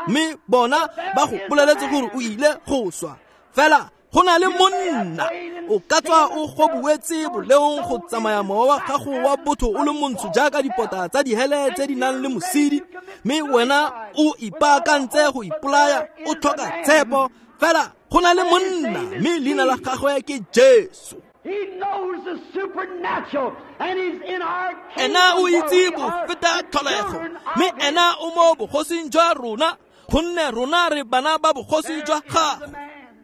mme bona ba go boleletse gore o ile go swa. Fela go na le monna, o ka tswa o gobuetse boleong go tsamaya mowa wa gago wa botho o le montsho jaaka dipota tsa dihele tse di nang le mosidi, mme wena o ipaakantse go ipolaya, o tlhoka tshepo. Fela go na le monna, mme leina la gagwe ke Jesu. Ena o itse bofeta tlholego, mme ena o mo bogosing jwa rona, gonne rona re bana ba bogosi jwa gagwe.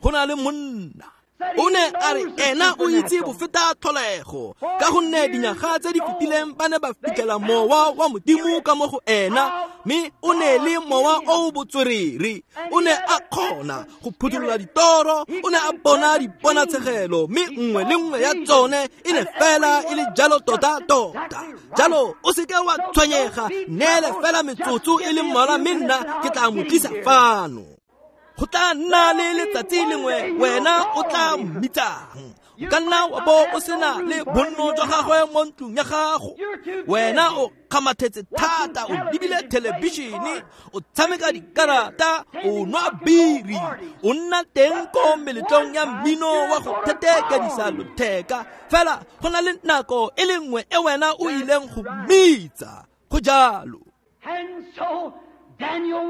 Go na le monna. O ne a re ena o itse bofeta tlholego, ka gonne dinyaga tse di fetileng ba ne ba fitlhela mowa wa Modimo ka mo go ena, mme o ne le mowa o botswerere. O ne a kgona go phuthulola ditoro, o ne a bona diponatshegelo, mme nngwe le nngwe ya tsone e ne fela e le jalo tota-tota. Jalo o seke wa tshwenyega, neele fela metsotso e le mmalwa, mme nna ke tla mo tlisa fano. Go tla nna le letsatsi lengwe wena o tla mmitsang. O ka nna wa bo o sena le bonno jwa gagwe mo ntlong ya gago. Wena o kgamathetse thata, o lebile thelebišene, o tshameka dikarata, o nwa biri, o nna teng ko meletlong ya mmino wa go thetekedisa lotheka. Fela go na le nako e le nngwe e wena o ileng go mmitsa. Go jalo.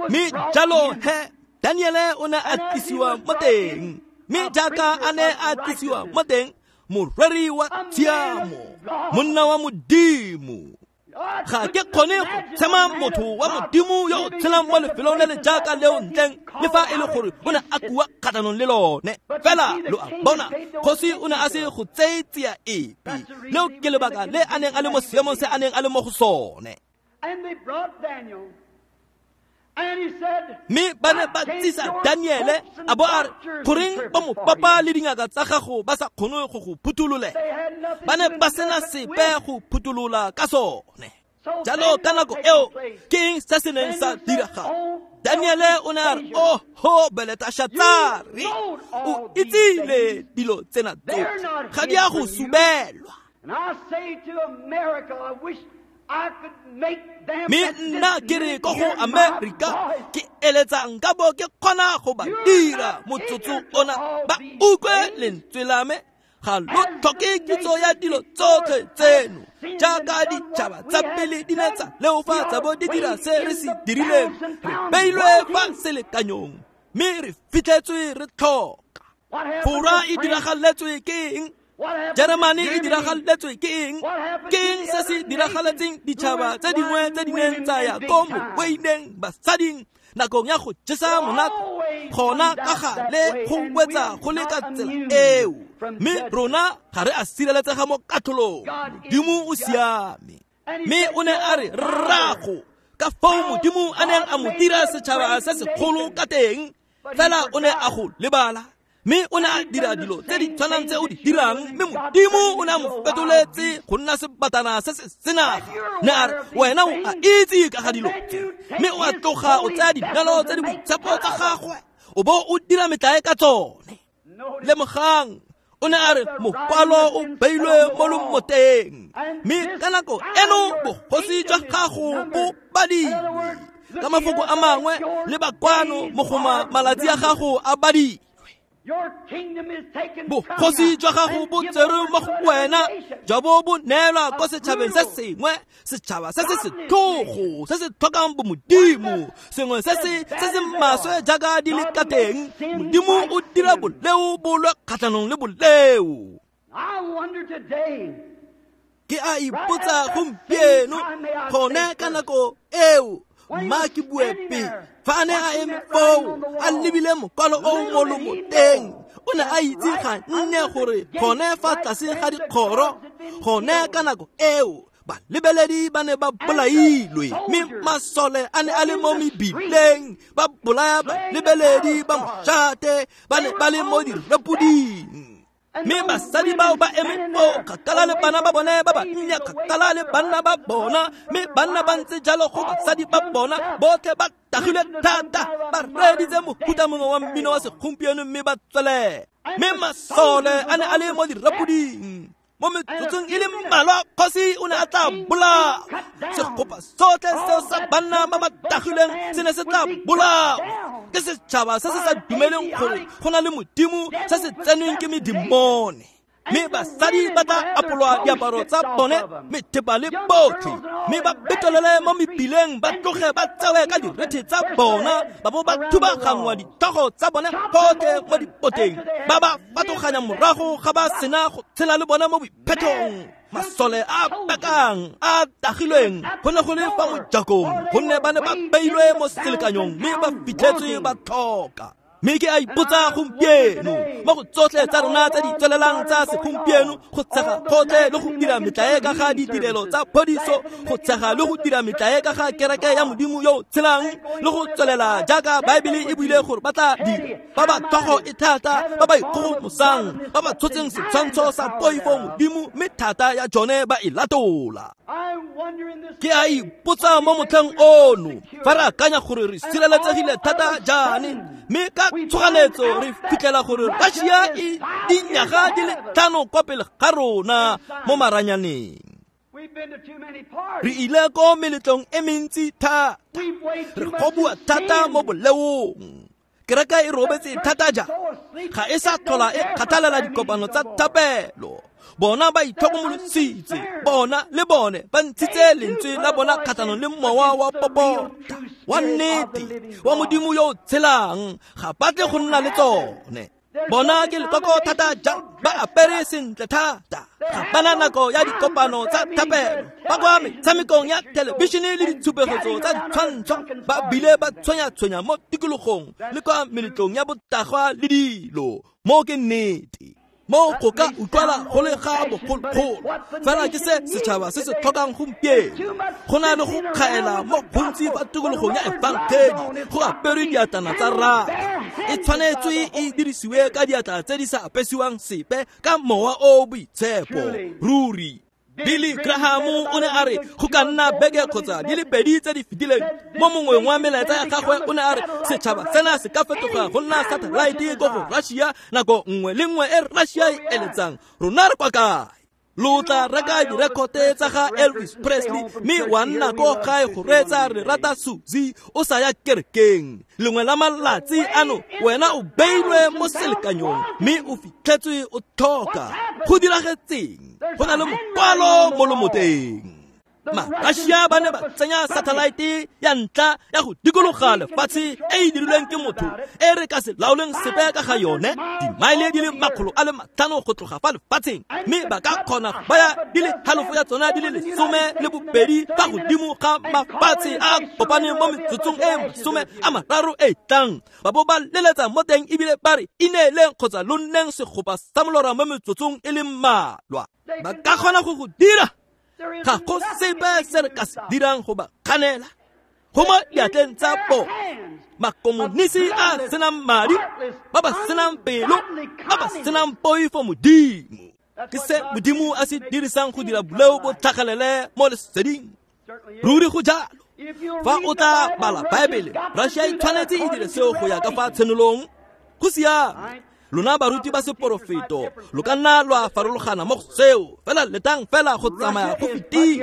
Mme jalo he Daniele o ne a tlisiwa mo teng. Mme jaaka a ne a tlisiwa mo teng, moreri wa tshiamo, monna wa Modimo. Ga ke kgone go tshema motho wa Modimo yo o tshelang mo lefelong le le jaaka leo ntleng le fa e le gore o ne a kua kgatlhanong le lone. Fela lo a bona, kgosi o ne a se go tseye tsia epe. Leo ke lebaka le a neng a le mo seemong se a neng a le mo go sone. Mme ba ne ba tsisa Daniele a bo a re, goreng ba mopapa le dingaka tsa gago ba sa kgone go go phuthulolela? Ba ne ba sena sepe go phuthulola ka sone. Jalo ka nako eo ke eng se se neng sa diragala? Daniele o ne a re, oho Beleteshatsare, o itsile dilo tsena tsotlhe, ga di a go subelwa. Mme nna ke re ko go Amerika, ke eletsa nka bo ke kgona go ba dira motsotso ona ba utlwe lentswe la me. Ga lo tlhoke kitso ya dilo tsotlhe tseno jaaka ditšhaba tsa pele di ne tsa leofa tsa bo di dira se re se dirileng. Re beilwe fa selekanyong mme re fitlhetswe re tlhoka. Fora e diragaletswe ke eng? Jeremane e diragaletswe ke eng? Ke eng se se diragaletseng ditšhaba tse dingwe tse di neng tsa ya ko mokweineng basading nakong ya go jesa monate? Gona ka gale go wetsa go le ka tsela eo. Mme rona ga re a sireletsega mo katlholong. Modimo o siame. Mme o ne a re, rrago, ka foo Modimo a neng a mo dira setšhaba se segolo ka teng, fela o ne a go lebala. Mme o ne a dira dilo tse di tshwanang tse o di dirang, mme Modimo o ne a mo fetoletse go nna sebatana se se senaga. Ne a re, wena o a itse ka ga dilo tse, mme o a tloga o tsaya dinalo tse di boitshepo tsa gagwe, o bo o dira metlae ka tsone. Lemogang, o ne a re mokwalo o beilwe mo lomoteng, mme ka nako eno bogosi jwa gago bo badilwe. Ka mafoko a mangwe, le bakwano mogoma malatsi a gago a badilwe. Bogosi jwa gago bo tserwe mo go wena, jwa bo bo neelwa ko setšhabeng se sengwe, setšhaba se se setlhogo, se se tlhokang bomodimo, sengwe se se se se maswe jaaka di le ka teng. Modimo o dira boleo bo lwe kgatlhanong le boleo. Ke a ipotsa gompieno, gone ka nako eo, mma ke bue pele. Fa a ne a eme foo, a lebile mokwalo o mo lomoteng, o ne a itse ganne gore gone fa tlase ga dikgoro, gone ka nako eo, balebeledi ba ne ba bolailwe, mme masole a ne a le mo mebileng, ba bolaya balebeledi ba mošate, ba ne ba le mo direpoding. Mme basadi bao ba eme foo kgakala le bana ba bone ba bannye, kgakala le banna ba bona, mme banna ba ntse jalo go basadi ba bona, botlhe ba tagilwe thata, ba reeditse mohuta mongwe wa mmino wa segompieno mme ba tswelela. Mme masole a ne a le mo direpoding. Mo metsotsong e le mmalwa, kgosi o ne a tla bolawa. Segopa sotlhe seo sa banna ba ba tagilweng se ne se tla bolawa ke setšhaba se se sa dumeleng gore go na le Modimo, se se tsenweng ke medimone. Mme basadi ba tla apolwa diaparo tsa bone, methepa le botlhe, mme ba betolele mo mebileng, ba tloge ba tsewe ka direthe tsa bona, ba bo ba thubagangwa ditlhogo tsa bone gotlhe mo dipoteng, ba ba fatoganya morago ga ba sena go tshela le bona mo boiphethong. Masole a bakang a tagilweng go ne go le fa mojakong, gonne ba ne ba beilwe mo selekanyong mme ba fitlhetswe ba tlhoka. Mme ke a ipotsa gompieno, mo go tsotlhe tsa rona tse di tswelelang tsa segompieno, go tshega gotlhe le go dira metlae ka ga ditirelo tsa phodiso, go tshega le go dira metlae ka ga kereke ya Modimo yo o tshelang, le go tswelela jaaka Baebele e buile gore ba tla dira, ba ba tlhogo e thata, ba ba ikgogomosang, ba ba tshotseng setshwantsho sa poifo Modimo, mme thata ya jone ba e latola. Ke a ipotsa mo motlheng ono, fa re akanya gore re sireletsegile thata jaane, Mme ka tshoganetso re fitlhela gore Russia e dinyaga di le tlhano kwa pele ga rona mo maranyaneng. Re ile ko meletlong e mentsi thata, re kgobua thata mo boleong. Kereke e robetse thata ja, ga e sa tlhola e kgathalela dikopano tsa thapelo. Bona ba itlhokomolositse, bona le bone ba ntshitse lentswe la bona kgatlhanong le mowa wa popota wa nnete wa Modimo yo o tshelang, ga ba tle go nna le tsone. Bona ke lekoko thata jang, ba apere sentle thata, ga bana nako ya dikopano tsa thapelo, ba kwa metshamekong ya thelebišene le ditshupegetso tsa ditshwantsho, ba bile ba tshwenya-tshwenya mo tikologong le kwa meletlong ya botagwa le dilo. Mo ke nnete, mo go ka utlwala go le ga bogologolo, fela ke se setšhaba se se tlhokang gompieno. Go na le go kgaela mo gontsi fa tikologong ya efangedi go aperwe diatlana tsa rata. E tshwanetswe e dirisiwe ka diatla tse di sa apesiwang sepe ka mowa o o boitshepo. Ruri Billy Graham o ne a re go ka nna beke kgotsa di le pedi tse di fetileng mo mongweng wa melaetsa ya gagwe o ne a re setšhaba sena se ka fetoga go nna satellite ko go Russia nako nngwe le nngwe e Russia e eletsang. Rona re kwa kae? Lo tla reka direkote tsa ga Elvis Presley mme wa nna ko gae go reetsa Re Rata Suzy o sa ya kerekeng. Lengwe la malatsi ano wena o beilwe mo selekanyong mme o fitlhetswe o tlhoka. Go diragetseng? Go na le mokwalo mo lomoteng. Ma-Russia ba ne ba tsenya satellite ya ntlha ya go dikologa lefatshe e e dirilweng ke motho e re ka se laoleng sepe ka ga yone, dimaele di le makgolo a le matlhano go tloga fa lefatsheng, mme ba ka kgona go baya di le halofo ya tsona di le lesome le bobedi fa godimo ga mafatshe a kopaneng mo metsotsong e masome a mararo e tlang. Ba bo ba leletsa mo teng ebile ba re ineeleng kgotsa lo nneng segopa sa molora mo metsotsong e le mmalwa. Ba ka kgona go go dira. Ga go sepe se re ka se dirang go ba kganela. Go mo diatleng tsa bona, makomonisi a senang madi, ba ba senang pelo, ba ba senang poifo Modimo. Ke se Modimo a se dirisang go dira boleo bo tlhagelele mo leseding. Ruri go jalo. Fa o tla bala Baebele, Russia e tshwanetse e dire seo go ya ka fa tshenolong. Go siame. Lona baruti ba seporofeto lo ka nna lwa farologana mo go seo, fela letang fela go tsamaya go fetile.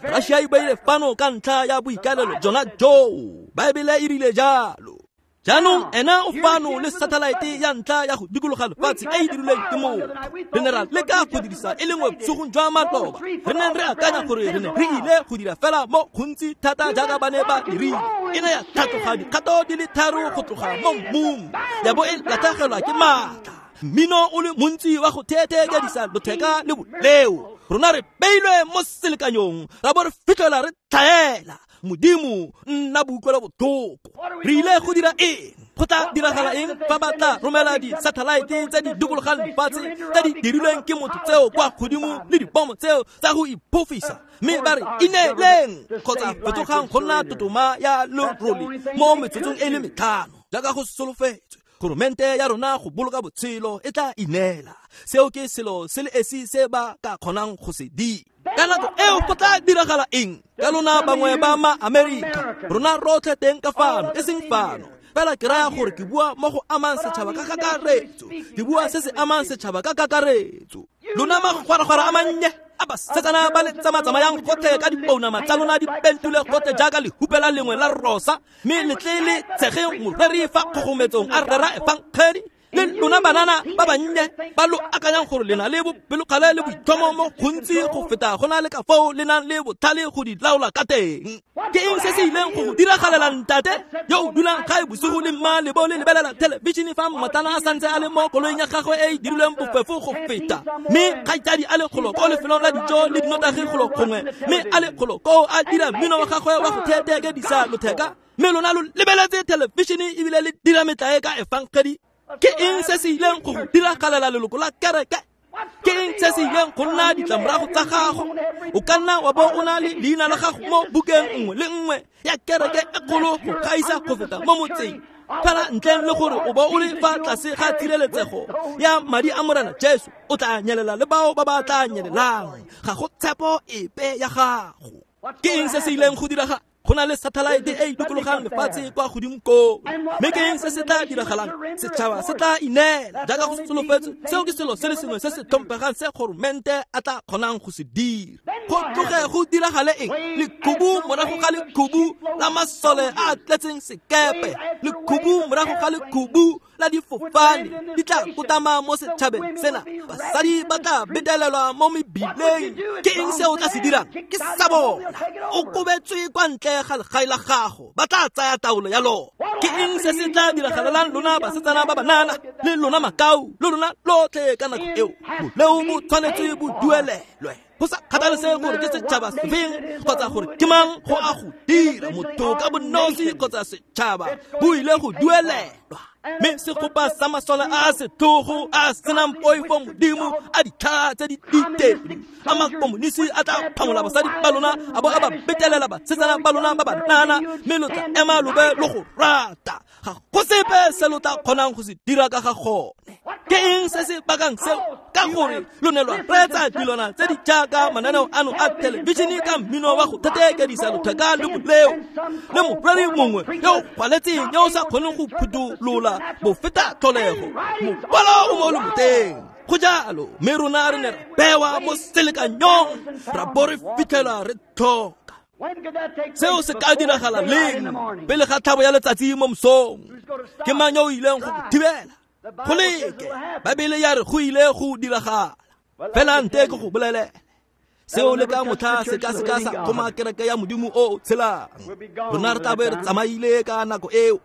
Russia e beile fano ka ntlha ya boikaelelo jona joo, Baebele e rile jalo. Jaanong ena o fano le satellite ya ntlha ya go dikologa lefatshe e e dirilweng ke motho. Re ne ra leka go dirisa e le nngwe bosigong jwa maloba, re neng re akanya gore re ne re ile go dira fela mo gontsi thata jaaka ba ne ba dirile. E ne ya tlhatloga dikgato di le tharo go tloga mo mmung, ya bo e latlhegelwa ke maatla. Mmino o le montsi wa go theetheekedisa lotheka le boleo. Rona re beilwe mo selekanyong, ra bo re fitlhela re tlhaela. Modimo nna boutlwelo botlhoko. Re ile go dira eng? Go tla diragala eng fa ba tla romela di-satellite tse di dikologang lefatshe tse di dirilweng ke motho tseo kwa godimo le dibomo tseo tsa go iphofisa, mme ba re ineeleng kgotsa fetogang go nna totoma ya lerole mo metsotsong e le metlhano jaaka go solofetswe? Goromente ya rona go boloka botshelo e tla ineela. Seo ke selo se le esi se ba ka kgonang go se dira. Ka nako eo go tla diragala eng? Ka lona bangwe ba ma-Amerika, rona rotlhe teng ka fano, e seng fano. Fela ke raya gore ke bua mo go amang setšhaba ka kakaretso. Ke bua se se amang setšhaba ka kakaretso. Lona magwaragwara a mannye a basetsana ba le tsamatsamayang gotlhe ka dipounama tsa lona di pentule gotlhe jaaka lehupela lengwe la rosa, mme letle le tshege moreri fa kgogometsong a rera efangedi. Le lona banana ba bannye ba lo akanyang gore le na le bopelokgale le boitlhomo mo gontsi go feta go na le ka foo le nang le botlhale go di laola ka teng. Ke eng se se ileng go go diragalela ntate yo o dulang gae bosigo le mma le bo le lebelela thelebišene fa mmotlana a santse a le mo koloing ya gagwe e e dirilweng bofefo go feta, mme kgaitsadi a le kgolo ko lefelong la dijo le dinotagi kgolo gongwe, mme a le kgolo koo a dira mmino wa gagwe wa go theetheekedisa lotheka, mme lona lo lebeletse thelebišene ebile le dira metlae ka efangedi? Ke eng se se ileng go go diragalela leloko la kereke? Ke eng se se ileng go nna ditlamorago tsa gago? O ka nna wa bo o na le leina la gago mo bukeng nngwe le nngwe ya kereke e kgolo go gaisa go feta mo motseng, fela ntleng le gore o bo o le fa tlase ga tshireletsego ya madi a Morena Jesu, o tla nyelela le bao ba ba tla nyelelang. Ga go tshepo epe ya gago. Ke eng se se ileng go diraga? Go na le satellite e e dikologang lefatshe kwa godimo koo. Mme ke eng se se tla diragalang? Setšhaba se tla ineela jaaka go solofetswe. Seo ke selo se le sengwe se se tlhomphegang se goromente a tla kgonang go se dira. Go tloge go diragale eng? Lekhubu morago ga lekhubu la masole a a tletseng sekepe, lekhubu morago ga lekhubu la difofane di tla kotama mo setšhabeng sena. Basadi ba tla betelelwa mo mebileng. Ke eng se o tla se dirang? Ke sa bona. O kobetswe kwa ntle ga legae la gago, ba tla tsaya taolo ya lona. Ke eng se se tla diragalelang lona basetsana ba banana le lona makau le lona lotlhe ka nako eo? Boleo bo tshwanetse bo duelelwe. Go sa kgathalesege gore ke setšhaba sefeng kgotsa gore ke mang go a go dira, motho ka bonosi kgotsa setšhaba bo ile go duelelwa. Mme segopa sa masole a a setlhogo a a senang poifo modimo a ditlhaa tse di diteng a makomonisi a tla phamola basadi ba lona a bo a ba betelela basetsana ba lona ba banana, mme lo tla ema lobe lo go rata. Ga go sepe se lo tla kgonang go se dira ka ga gone. Ke eng se se bakang seo? Ka gore lo ne lwa reetsa dilwana tse di jaaka mananeo ano a thelebišene ka mmino wa go thetekedisa lotheka le boleo le moreri mongwe yo o gwaletseng yo o sa kgoneng go phuthulola bofeta tlholego. Mokwalo o mo lomoteng. Go jalo, mme rona re ne ra bewa mo selekanyong ra bo re fitlhela re tlhoka. Seo se ka diragala leng? Pele ga tlhabo ya letsatsi mo mosong. Ke mang yo o ileng go go thibela? Go leke. Baebele ya re go ile go diragala. Fela nte ke go bolelele seo le ka motlha se ka se ka sa kgoma kereke ya Modimo o o tshelang. Rona re tla be re tsamaile ka nako eo.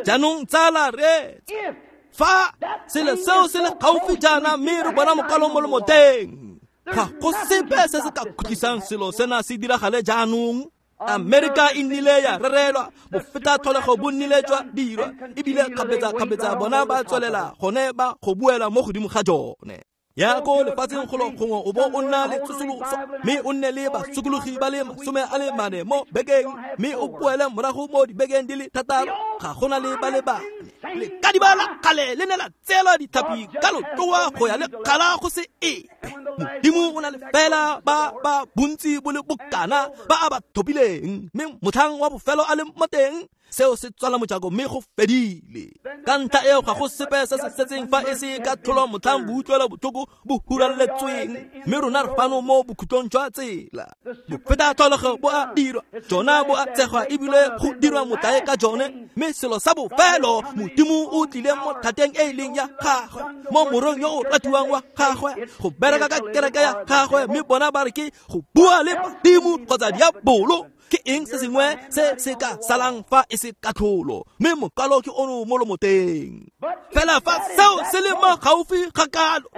Jaanong tsala reetsa. Fa selo seo se le gaufi jaana mme re bona mokwalo mo lomoteng, ga go sepe se se ka khutlisang selo sena se diragale jaanong. Amerika e nnile ya rerelwa, bofeta tlholego bo nnile jwa dirwa, ebile kgapetsa-kgapetsa bona ba tswelela gone ba go buela mo godimo ga jone. Ya ko lefatsheng golo gongwe o bo o nna le tsosoloso, mme o nne le basokologi ba le masome a le mane mo bekeng, mme o boele morago mo dibekeng di le thataro, ga gona le ba le bane. Lekadiba la kgale le ne la tseelwa ditlhapi ka lotloa go ya le kgala go se epe. Modimo o na le fela ba ba bontsi bo le bokana ba a ba thopileng, mme motlhang wa bofelo a le mo teng, seo se tswala mojako mme go fedile. Ka ntlha eo ga go sepe se se setseng fa e se ka tlholo motlhang boutlwela botlhoko bo huraletsweng, mme rona re fano mo bokhutlong jwa tsela. Bofeta tlholego bo a dirwa, jona bo a tsegwa ebile go dirwa motlae ka jone, mme selo sa bofelo Modimo o tlile mo thateng e e leng ya gagwe, mo morong yo o ratiwang wa gagwe, go bereka ka kereke ya gagwe, mme bona ba re ke go bua le badimo kgotsa diabolo. Ke eng se sengwe se se ka salang fa e se katlholo? Mme mokwalo ke ono mo lomoteng. Fela fa seo se le mo gaufi ga kalo,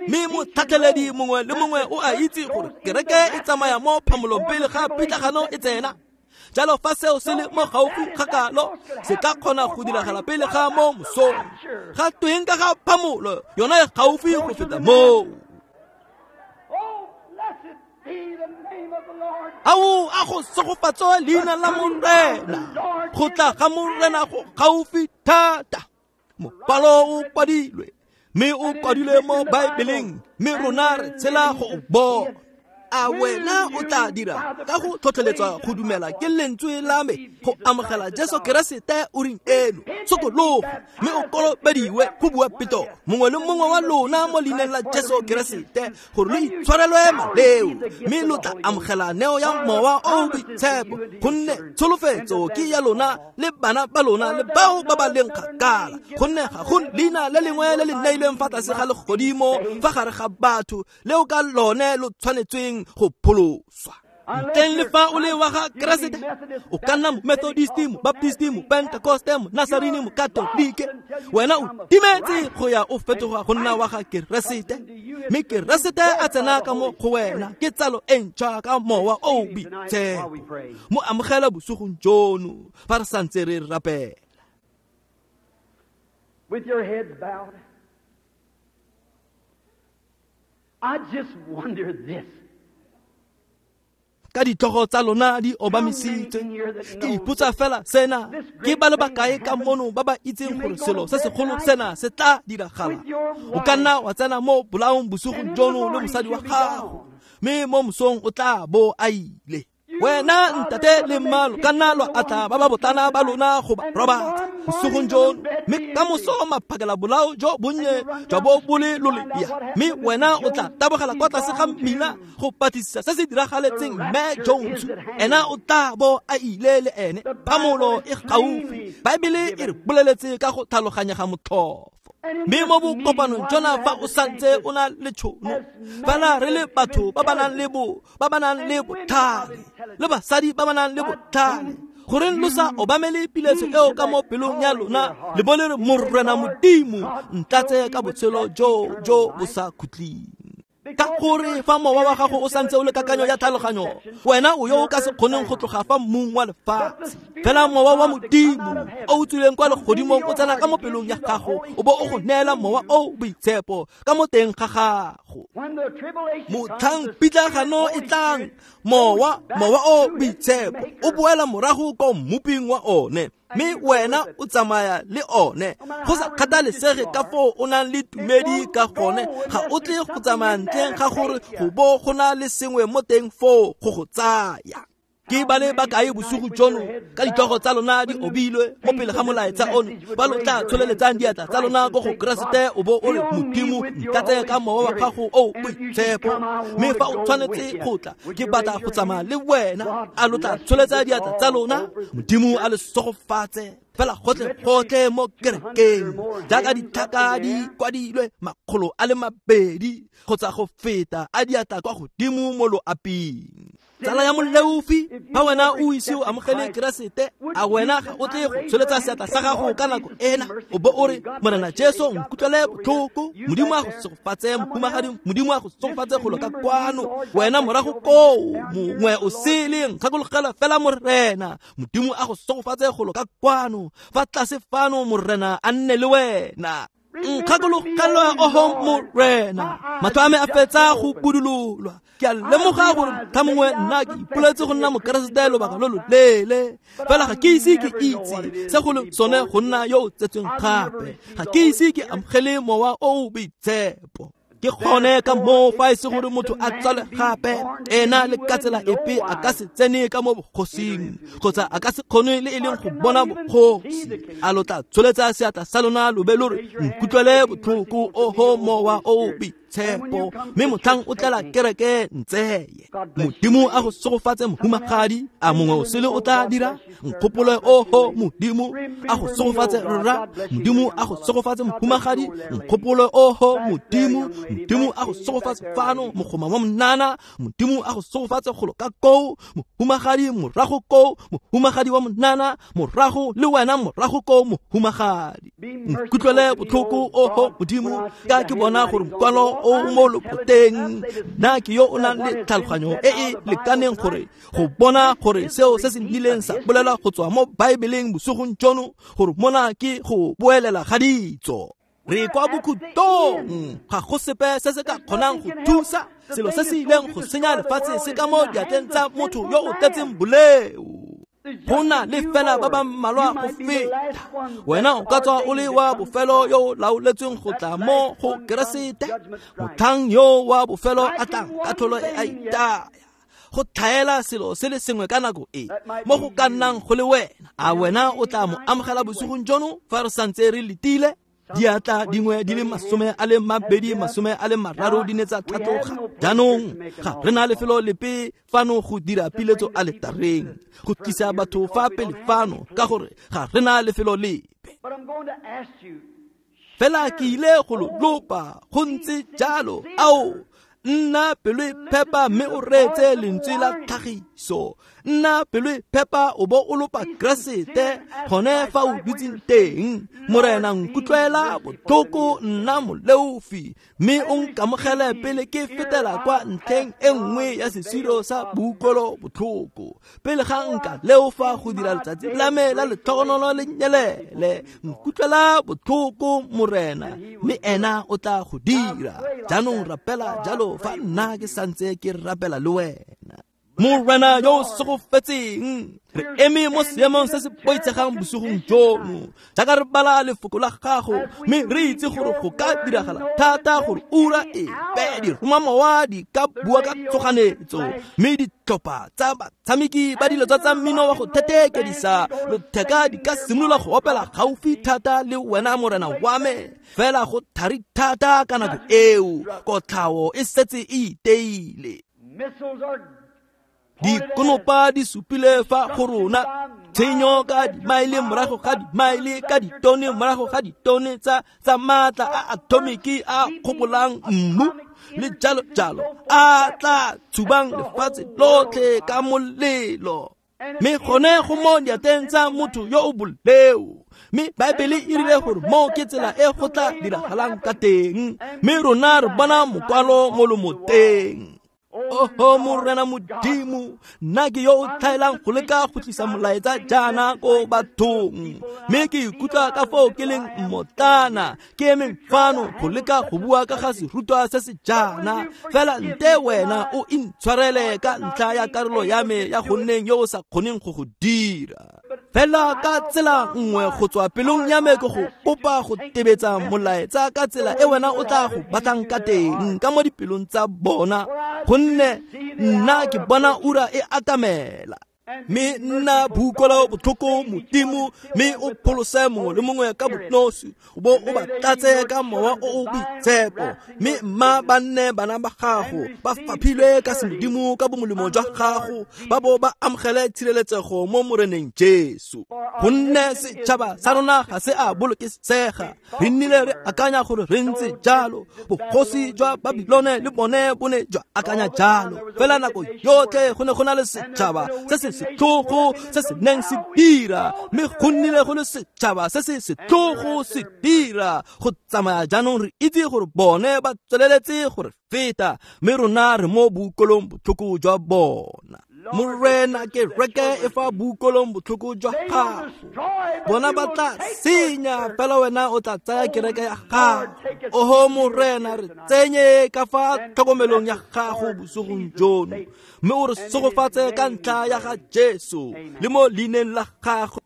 mme motlhatlheledi mongwe le mongwe o a itse gore kereke e tsamaya mo phamolong pele ga pitlagano e tsena. Jalo fa seo se le mo gaufi ga kalo, se ka kgona go diragala pele ga mo mosong. Ga tweng ka ga phamolo yona e gaufi go feta moo. Ao a go segofatso leina la Morena. Go tla ga Morena go gaufi thata. Mokwalo o kwadilwe, mme o kwadilwe mo Baebeleng, mme rona re tshela go o bona. A wena o tla dira ka go tlhotlheletswa go dumela ke lentswe la me go amogela Jesu Keresete o reng eno? Sokologa mme o kolobediwe, go bua Petoro, mongwe le mongwe wa lona mo leineng la Jesu Keresete, gore lo itshwarelwe maleo, mme lo tla amogela neo ya Mowa o o Boitshepo, gonne tsholofetso ke ya lona le bana ba lona le bao ba ba leng kgakala, gonne ga go leina le lengwe le le neilweng fa tlase ga legodimo fa gare ga batho leo ka lone lo tshwanetsweng go pholoswa. Ntleng le fa o le wa ga Keresete, o ka nna Methodisti, Mobaptisti, Mopentekoste, Monasarini, Mokatolike, wena o timetse go ya o fetoga go nna wa ga Keresete, mme Keresete a tsena ka mo go wena ke tsalo e ntšhwa ka Mowa o o Boitshepo. Mo amogela bosigong jono fa re santse re rapela. With your heads bowed, I just wonder this. Ka ditlhogo tsa lona di obamisitswe, ke ipotsa fela sena, ke ba le bakae ka mono ba ba itseng gore selo se segolo sena se tla diragala? O ka nna wa tsena mo bolaong bosigong jono le mosadi wa gago, mme mo mosong o tla bo a ile. Wena ntate le mmalo ka nna lwa atla ba ba botlana ba lona go ba robatsa bosigong jono, mme ka moso maphakela bolao jo bonnye jwa bo bo le lolea, mme wena o tla tabogela kwa tlase ga mmila go patlisisa se se diragaletseng mme Jones. Ena o tla bo a ile le ene. Phamolo e gaufi. Baebele e re boleletse ka go tlhaloganyega motlhofo. Mme mo bokopanong jona fa o santse o na le tšhono, fela re le batho ba ba nang le bo ba ba nang le botlhale le basadi ba ba nang le botlhale, goreng lo sa obamele piletso eo ka mo pelong ya lona le bo le re, Morena Modimo, ntlatse ka botshelo jo jo bo sa khutleng. Ka gore fa mowa wa gago o santse o le kakanyo ya tlhaloganyo, wena o yo o ka se kgoneng go tloga fa mmung wa lefatshe. Fela mowa wa Modimo o o tswileng kwa legodimong o tsena ka mo pelong ya gago, o bo o go neela mowa o boitshepo ka mo teng ga gago. Motlhang pitlagano e tlang, mowa mowa o boitshepo o boela morago ko mmoping wa one, mme wena o tsamaya le one. Go sa kgathalesege ka foo o nang le tumedi ka gone, ga o tle go tsamaya ntleng ga gore go bo go na le sengwe mo teng foo go go tsaya. Ke ba le bakae bosigo jono ka ditlhogo tsa lona di obilwe mo pele ga molaetsa ono, ba lo tla tsholeletsang diatla tsa lona ko go Keresete, o bo o re, Modimo, ntlatse ka mowa wa gago o boitshepo, mme fa o tshwanetse go tla, ke batla go tsamaya le wena. A lo tla tsholetsa diatla tsa lona? Modimo a le segofatse fela gotlhe gotlhe mo kerekeng, jaaka ditlhaka di kwadilwe makgolo a le mabedi kgotsa go feta a diatla kwa godimo mo loaping. Tsala ya moleofi, fa wena o ise o amogele Keresete, a wena ga o tle go tsholetsa seatla sa gago ka nako ena, o bo o re, Morena Jesu, nkutlwele botlhoko. Modimo a go segofatse, mohumagadi, Modimo a go segofatse golo ka kwano. Wena morago koo, mongwe o sele, nkgakologela fela Morena. Modimo a go segofatse golo ka kwano. Fa tlase fano, Morena a nne le wena. Nkgakologelwa, oho Morena, matlho a me a fetsa go budulolwa. Ke a lemoga gore motlha mongwe nna ke ipoletse go nna mokeresete lobaka lo loleele, fela ga ke ise ke itse se go le sone go nna yo o tsetsweng gape. Ga ke ise ke amogele mowa o o boitshepo. Ke gone ka moo fa e se gore motho a tsale gape, ena le ka tsela epe a ka se tsene ka mo bogosing, kgotsa a ka se kgone le e leng go bona bogosi. A lo tla tsholetsa seatla sa lona lo be lo re, nkutlwele botlhoko, oho mowa o boitshepo, mme motlhang o tlela kereke ntseye. Modimo a go segofatse, mohumagadi. A mongwe o sele o tla dira? Nkgopole, oho Modimo a go segofatse, rra. Modimo a go segofatse, mohumagadi. Nkgopole, oho Modimo. Modimo a go segofatse fano, mogoma wa monana. Modimo a go segofatse golo ka koo, mohumagadi morago koo, mohumagadi wa monana morago le wena morago koo, mohumagadi. Nkutlwele botlhoko, oho Modimo, ka ke bona gore mokwalo o mo loboteng. Nna ke yo o nang le tlhaloganyo e e lekaneng gore go bona gore seo se se nnileng sa bolela go tswa mo Baebeleng bosigong jono, gore mona ke go boelela ga ditso. Re kwa bokhutlong, ga go sepe se se ka kgonang go thusa selo se se ileng go senya lefatshe se ka mo diatleng tsa motho yo o tletseng boleo. Go na le fela ba ba mmalwa go feta. Wena o ka tswa o le wa bofelo yo o laoletsweng go tla mo go Keresete. Motlhang yo wa bofelo a tlang, katlholo e a itaya. Go tlhaela selo se le sengwe ka nako e mo go ka nnang go le wena. A wena o tla mo amogela bosigong jono fa re santse re letile? Diatla dingwe di le masome a le mabedi, masome a le mararo di ne tsa tlhatloga. Jaanong ga re na lefelo lepe fano go dira piletso aletareng, go tlisa batho fa pele fano, ka gore ga re na lefelo lepe. Fela ke ile go lo lopa go ntse jalo. Ao, nna pelo e phepa mme o reetse lentswe la tlhagiso. Nna pelo e phepa o bo o lopa Keresete gone fa o dutseng teng. Morena, nkutlwela botlhoko, nna moleofi, mme o nkamogele pele ke fetela kwa ntlheng e nngwe ya sesiro sa boutlwelo botlhoko. Pele ga nka leofa go dira letsatsi la me la letlhogonolo le nyelele. Nkutlwela botlhoko, Morena, mme ena o tla go dira. Jaanong rapela jalo fa nna ke santse ke rapela le wena. Morena yo o segofetseng, re eme mo seemong se se boitshegang bosigong jono jaaka re bala lefoko la gago, mme re itse gore go ka diragala thata gore ura epe diromamowa di ka bua ka tshoganyetso, mme ditlhopha tsa batshameki ba dilo tsa mmino wa go thetheekedisa lotheka di ka simolola go opela gaufi thata le wena Morena wa me. Fela go thari thata ka nako eo, kotlhao e setse e iteile. Dikonopa di supile fa go rona, tshenyo ka dimaele morago ga dimaele, ka ditone morago ga ditone tsa tsa maatla a atomiki a kgobolang mmu le jalo jalo, a tla tshubang lefatshe lotlhe ka molelo. Mme gone go mo diatleng tsa motho yo o boleo. Mme Baebele e rile gore moo ke tsela e go tla diragalang ka teng, mme rona re bona mokwalo mo lomoteng. Oho Morena Modimo, nna ke yo o tlhaelang go leka go tlisa molaetsa jaana ko bathong, mme ke ikutlwa ka foo ke leng mmotlana ke emeng fano go leka go bua ka ga serutwa se se jaana. Fela nte wena o intshwarele ka ntlha ya karolo ya me ya go nneng yo o sa kgoneng go go dira. Fela ka tsela nngwe go tswa pelong ya me ke go kopa go tebetsa molaetsa ka tsela e wena o tla go batlang ka teng ka mo dipelong tsa bona, gonne nna ke bona ura e atamela. Mme nna boutlwelo botlhoko Modimo, mme o pholose mongwe le mongwe ka bonosi, o bo o ba tlatse ka mowa o o boitshepo, mme mma ba nne bana ba gago, ba faphilwe ka semodimo ka bomolemo jwa gago, ba bo ba amogele tshireletsego mo Moreneng Jesu. Gonne setšhaba sa rona ga se a bolokesega, re nnile re akanya gore re ntse jalo, bogosi jwa Babilone le bone bo ne jwa akanya jalo, fela nako yotlhe go ne go na le setšhaba se se setlhogo se se neng se dira, mme go nnile go le setšhaba se se setlhogo se dira. Go tsamaya jaanong re itse gore bone ba tsweleletse gore feta, mme rona re mo boutlwelong botlhoko jwa bona. Morena, ke reke e fa boutlwelong botlhoko jwa gago, bona ba tla senya, fela wena o tla tsaya kereke ya gago. Oho Morena, re tsenye ka fa tlhokomelong ya gago bosigong jono, mme o re segofatse ka ntlha ya ga Jesu le mo leineng la gago.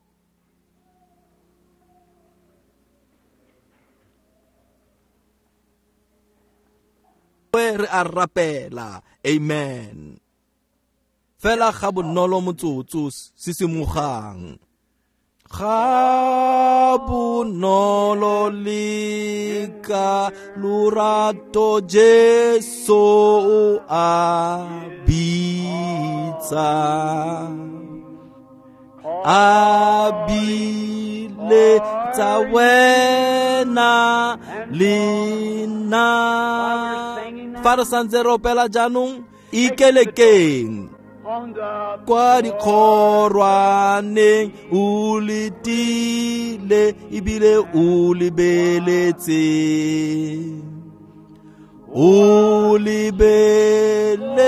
Re a rapela, amen. Fela ga bonolo motsotso sisimogang. Ga bonolo le ka lorato Jesu o a bitsa, a biletsa wena le nna. Fa re santse re opela jaanong, ikelekeng kwa dikgorwaneng, o letile ebile o lebeletse, o lebeletse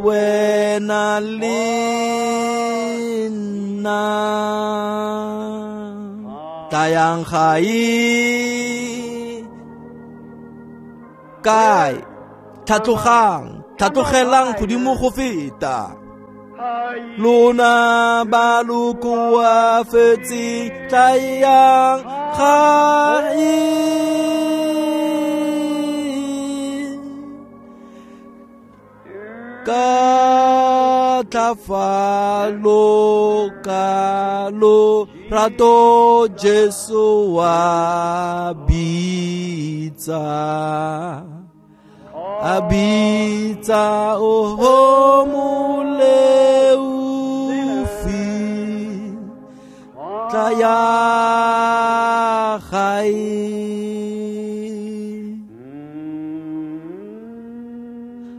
wena le nna. Tlayang gae kae, tlhatlogang, tlhatlogelang godimo go feta. Lona ba lo koafetseng, tlayang gae. Ka tlhafalo ka lorato Jesu wa bitsa, a bitsa oho moleofi, tlaya gae.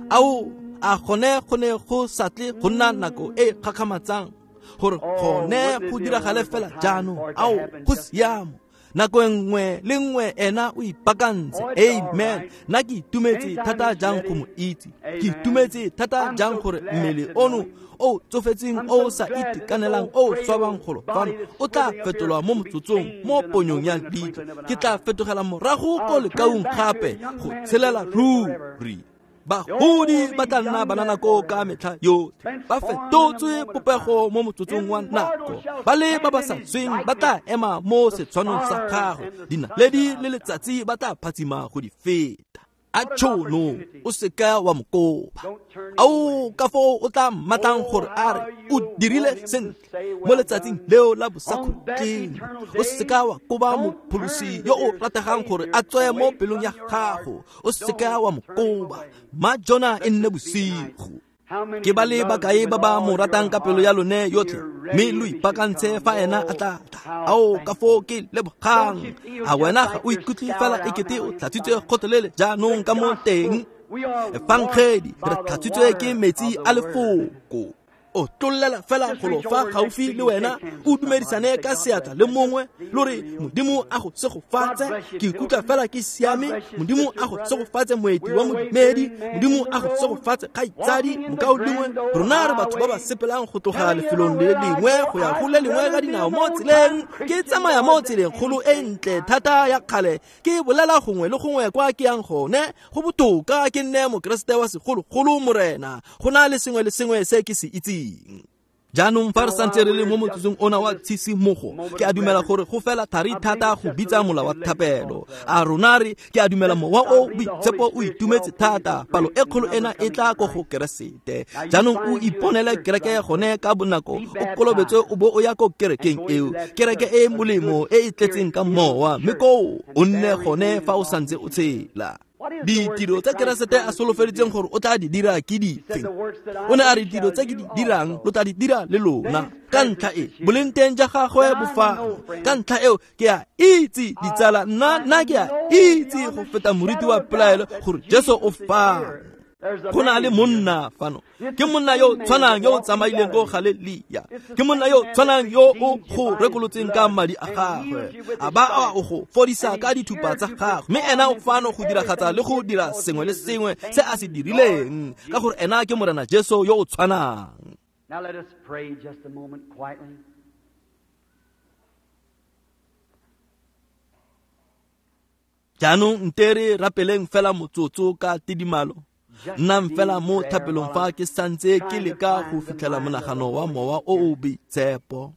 Ao, a gone go ne go sa tle go nna nako e kgakgamatsang gore gone go diragale fela jaanong. Ao, go siamo. Nako nngwe le nngwe ena o ipaakantse. Amen. Nna ke itumetse thata jang go mo itse, ke itumetse thata jang gore mmele ono o tsofetseng o sa itekanelang o swabang golo fano o tla fetolwa mo motsotsong mo ponyong ya leitlho. Ke tla fetogela morago ko lekaung gape go tshelela ruri. Bagodi ba tla nna banana koo ka metlha yotlhe, ba fetotswe popego mo motsotsong wa nako. Ba le ba ba sa sweng ba tla ema mo setshwanong sa gagwe, dinaledi le letsatsi ba tla phatsima go di feta. A tšhono o seka wa mo kopa. Ao ka foo o tla mmatlang gore a re o dirile sentle mo letsatsing leo la bosakhutleng. O seka wa koba mopholosi yo o rategang gore a tswe mo pelong ya gago. O seka wa mo koba. Ma jona e nne bosigo. Ke ba le bakae ba ba mo ratang ka pelo ya lone yotlhe, mme lo ipaakantse fa ena a tla tla. Ao ka foo ke lebogang. A wena ga o ikutlwe fela ekete o tlhatswitswe gotlhelele jaanong ka mo teng? Efangedi re tlhatswitswe ke metsi a lefoko. O tlolela fela golo fa gaufi le wena, o dumedisane ka seatla le mongwe, lo re Modimo a go segofatse. Ke ikutlwa fela ke siame. Modimo a go segofatse moeti wa modumedi. Modimo a go segofatse kgaitsadi mokaulengwe. Rona re batho ba ba sepelang go tloga lefelong le lengwe go ya go le lengwe ka dinao mo tseleng. Ke tsamaya mo tseleng kgolo e ntle thata ya kgale, ke bolela gongwe le gongwe kwa ke yang gone. Go botoka ke nne mokeresete wa segologolo, Morena. Go na le sengwe le sengwe se ke se itseng. Jaanong fa re santse re le mo motsotsong ona wa tshisimogo, ke a dumela gore go fela thari thata go bitsa mola wa thapelo. A rona re ke a dumela mowa o boitshepo o itumetse thata, palo e kgolo ena e tla ko go Keresete. Jaanong o iponele kereke gone ka bonako, o kolobetswe o bo o ya ko kerekeng eo, kereke e molemo e e tletseng ka mowa, mme koo o nne gone fa o santse o tshela. Ditiro tsa Keresete a solofeditseng gore o tla di dira ke dife? O ne a re ditiro tse ke di dirang lo tla di dira le lona. Ka ntlha e boleng teng ja gagwe bo fano. Ka ntlha eo ke a itse ditsala, nna nna ke a itse go feta moriti wa pelaelo gore Jesu o fano. Go na le monna fano, ke monna yo tshwanang yo o tsamaileng ko Galelia, ke monna yo tshwanang yo o go rekolotseng ka madi a gagwe, a ba a o go fodisa ka dithupa tsa gagwe. Mme ena o fano go diragatsa le go dira sengwe le sengwe se a se dirileng, ka gore ena ke Morena Jesu yo o tshwanang. Now let us pray just a moment quietly. Jaanong nte re rapeleng fela motsotso ka tidimalo. Nnang fela mo thapelong fa ke santse ke leka go fitlhela monagano wa mowa o o boitshepo.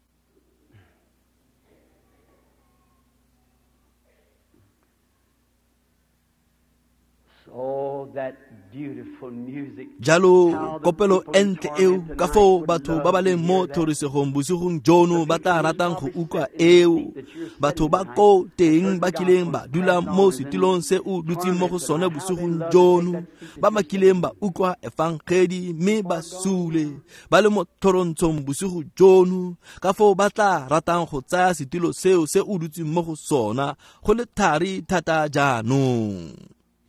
Jalo kopelo e ntle eo, ka foo batho ba ba leng mo tlhorisegong bosigong jono ba tla ratang go utlwa eo. Batho ba ko teng ba kileng ba dula mo setilong se o dutseng mo go sone bosigong jono, ba ba kileng ba utlwa efangedi mme ba sule ba le mo tlhorontshong bosigo jono, ka foo ba tla ratang go tsaya setilo seo se o dutseng mo go sona go le thari thata jaanong.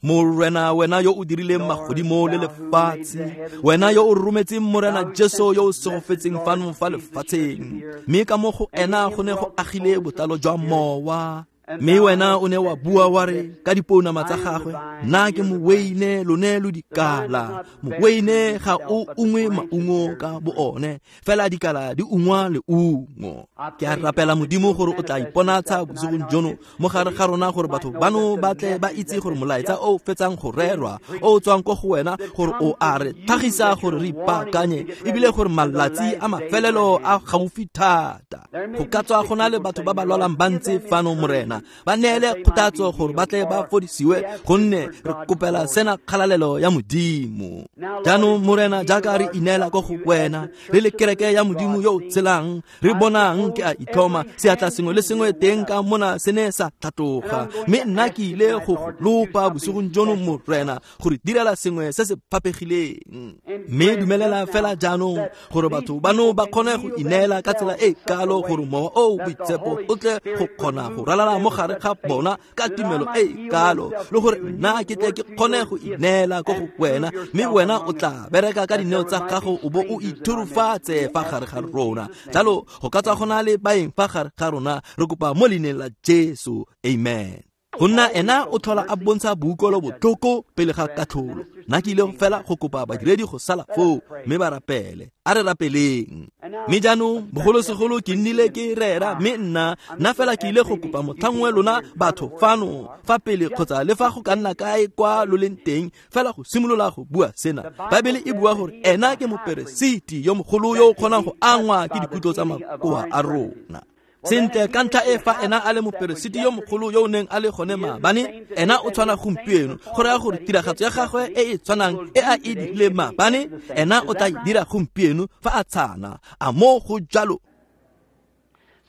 Morena, wena yo o dirileng magodimo le lefatshe, wena yo o rometseng Morena Jesu yo o segofetseng fano fa lefatsheng, mme ka mo go ena go ne go agile botlalo jwa mowa. Mme wena o ne wa bua wa re ka dipounama tsa gagwe, nna ke moweine, lone lo dikala. Moweine ga o ungwe maungo ka bo one, fela dikala di ungwa leungo. Ke a rapela Modimo gore o tla iponatsha bosigong jono mo gare ga rona, gore batho bano ba tle ba itse gore molaetsa o fetsang go rerwa o tswang ko go wena, gore o a re tlhagisa gore re ipaakanye, ebile gore malatsi a mafelelo a gaufi thata. Go ka tswa go na le batho ba ba lwalang ba ntse fano, Morena, ba neele kgothatso gore ba tle ba fodisiwe, gonne re kopela sena kgalalelo ya Modimo. Jaanong Morena, jaaka re ineela ko go wena, re le kereke ya Modimo yo o tshelang, re bonang ke a itlhoma seatla sengwe le sengwe teng ka mona se ne sa tlhatloga, mme nna ke ile go go lopa bosigong jono, Morena, gore direla sengwe se se phapegileng. Mme dumelela fela jaanong gore batho bano ba kgone go ineela ka tsela e kalo gore mowa o boitshepo o tle go kgona go ralala mo gare ga bona ka tumelo e kalo, le gore nna ke tle ke kgone go ineela ko go wena, mme wena o tla bereka ka dineo tsa gago o bo o ithurufatse fa gare ga rona. Jalo go ka tswa go na le baeng fa gare ga rona, re kopa mo leineng la Jesu, amen. Go nna ena o tlhola a bontsha boutlwelo botlhoko pele ga katlholo. Nna ke ile fela go kopa badiredi go sala foo mme ba rapele. A re rapeleng. Mme jaanong bogolosegolo ke nnile ke rera mme nna nna fela ke ile go kopa motlhangwe lona batho fano fa pele kgotsa le fa go ka nna kae kwa lo leng teng fela go simolola go bua sena. Baebele e bua gore ena ke moperesiti yo mogolo yo o kgonang go angwa ke dikutlo tsa makoa a rona. Sentle ka ntlha e fa ena a le moperesiti yo mogolo yo o neng a le gone maabane, ena o tshwana gompieno. Go raya gore tiragatso ya gagwe e e tshwanang e a e dirileng maabane, ena o tla e dira gompieno fa a tshana. A mo go jalo?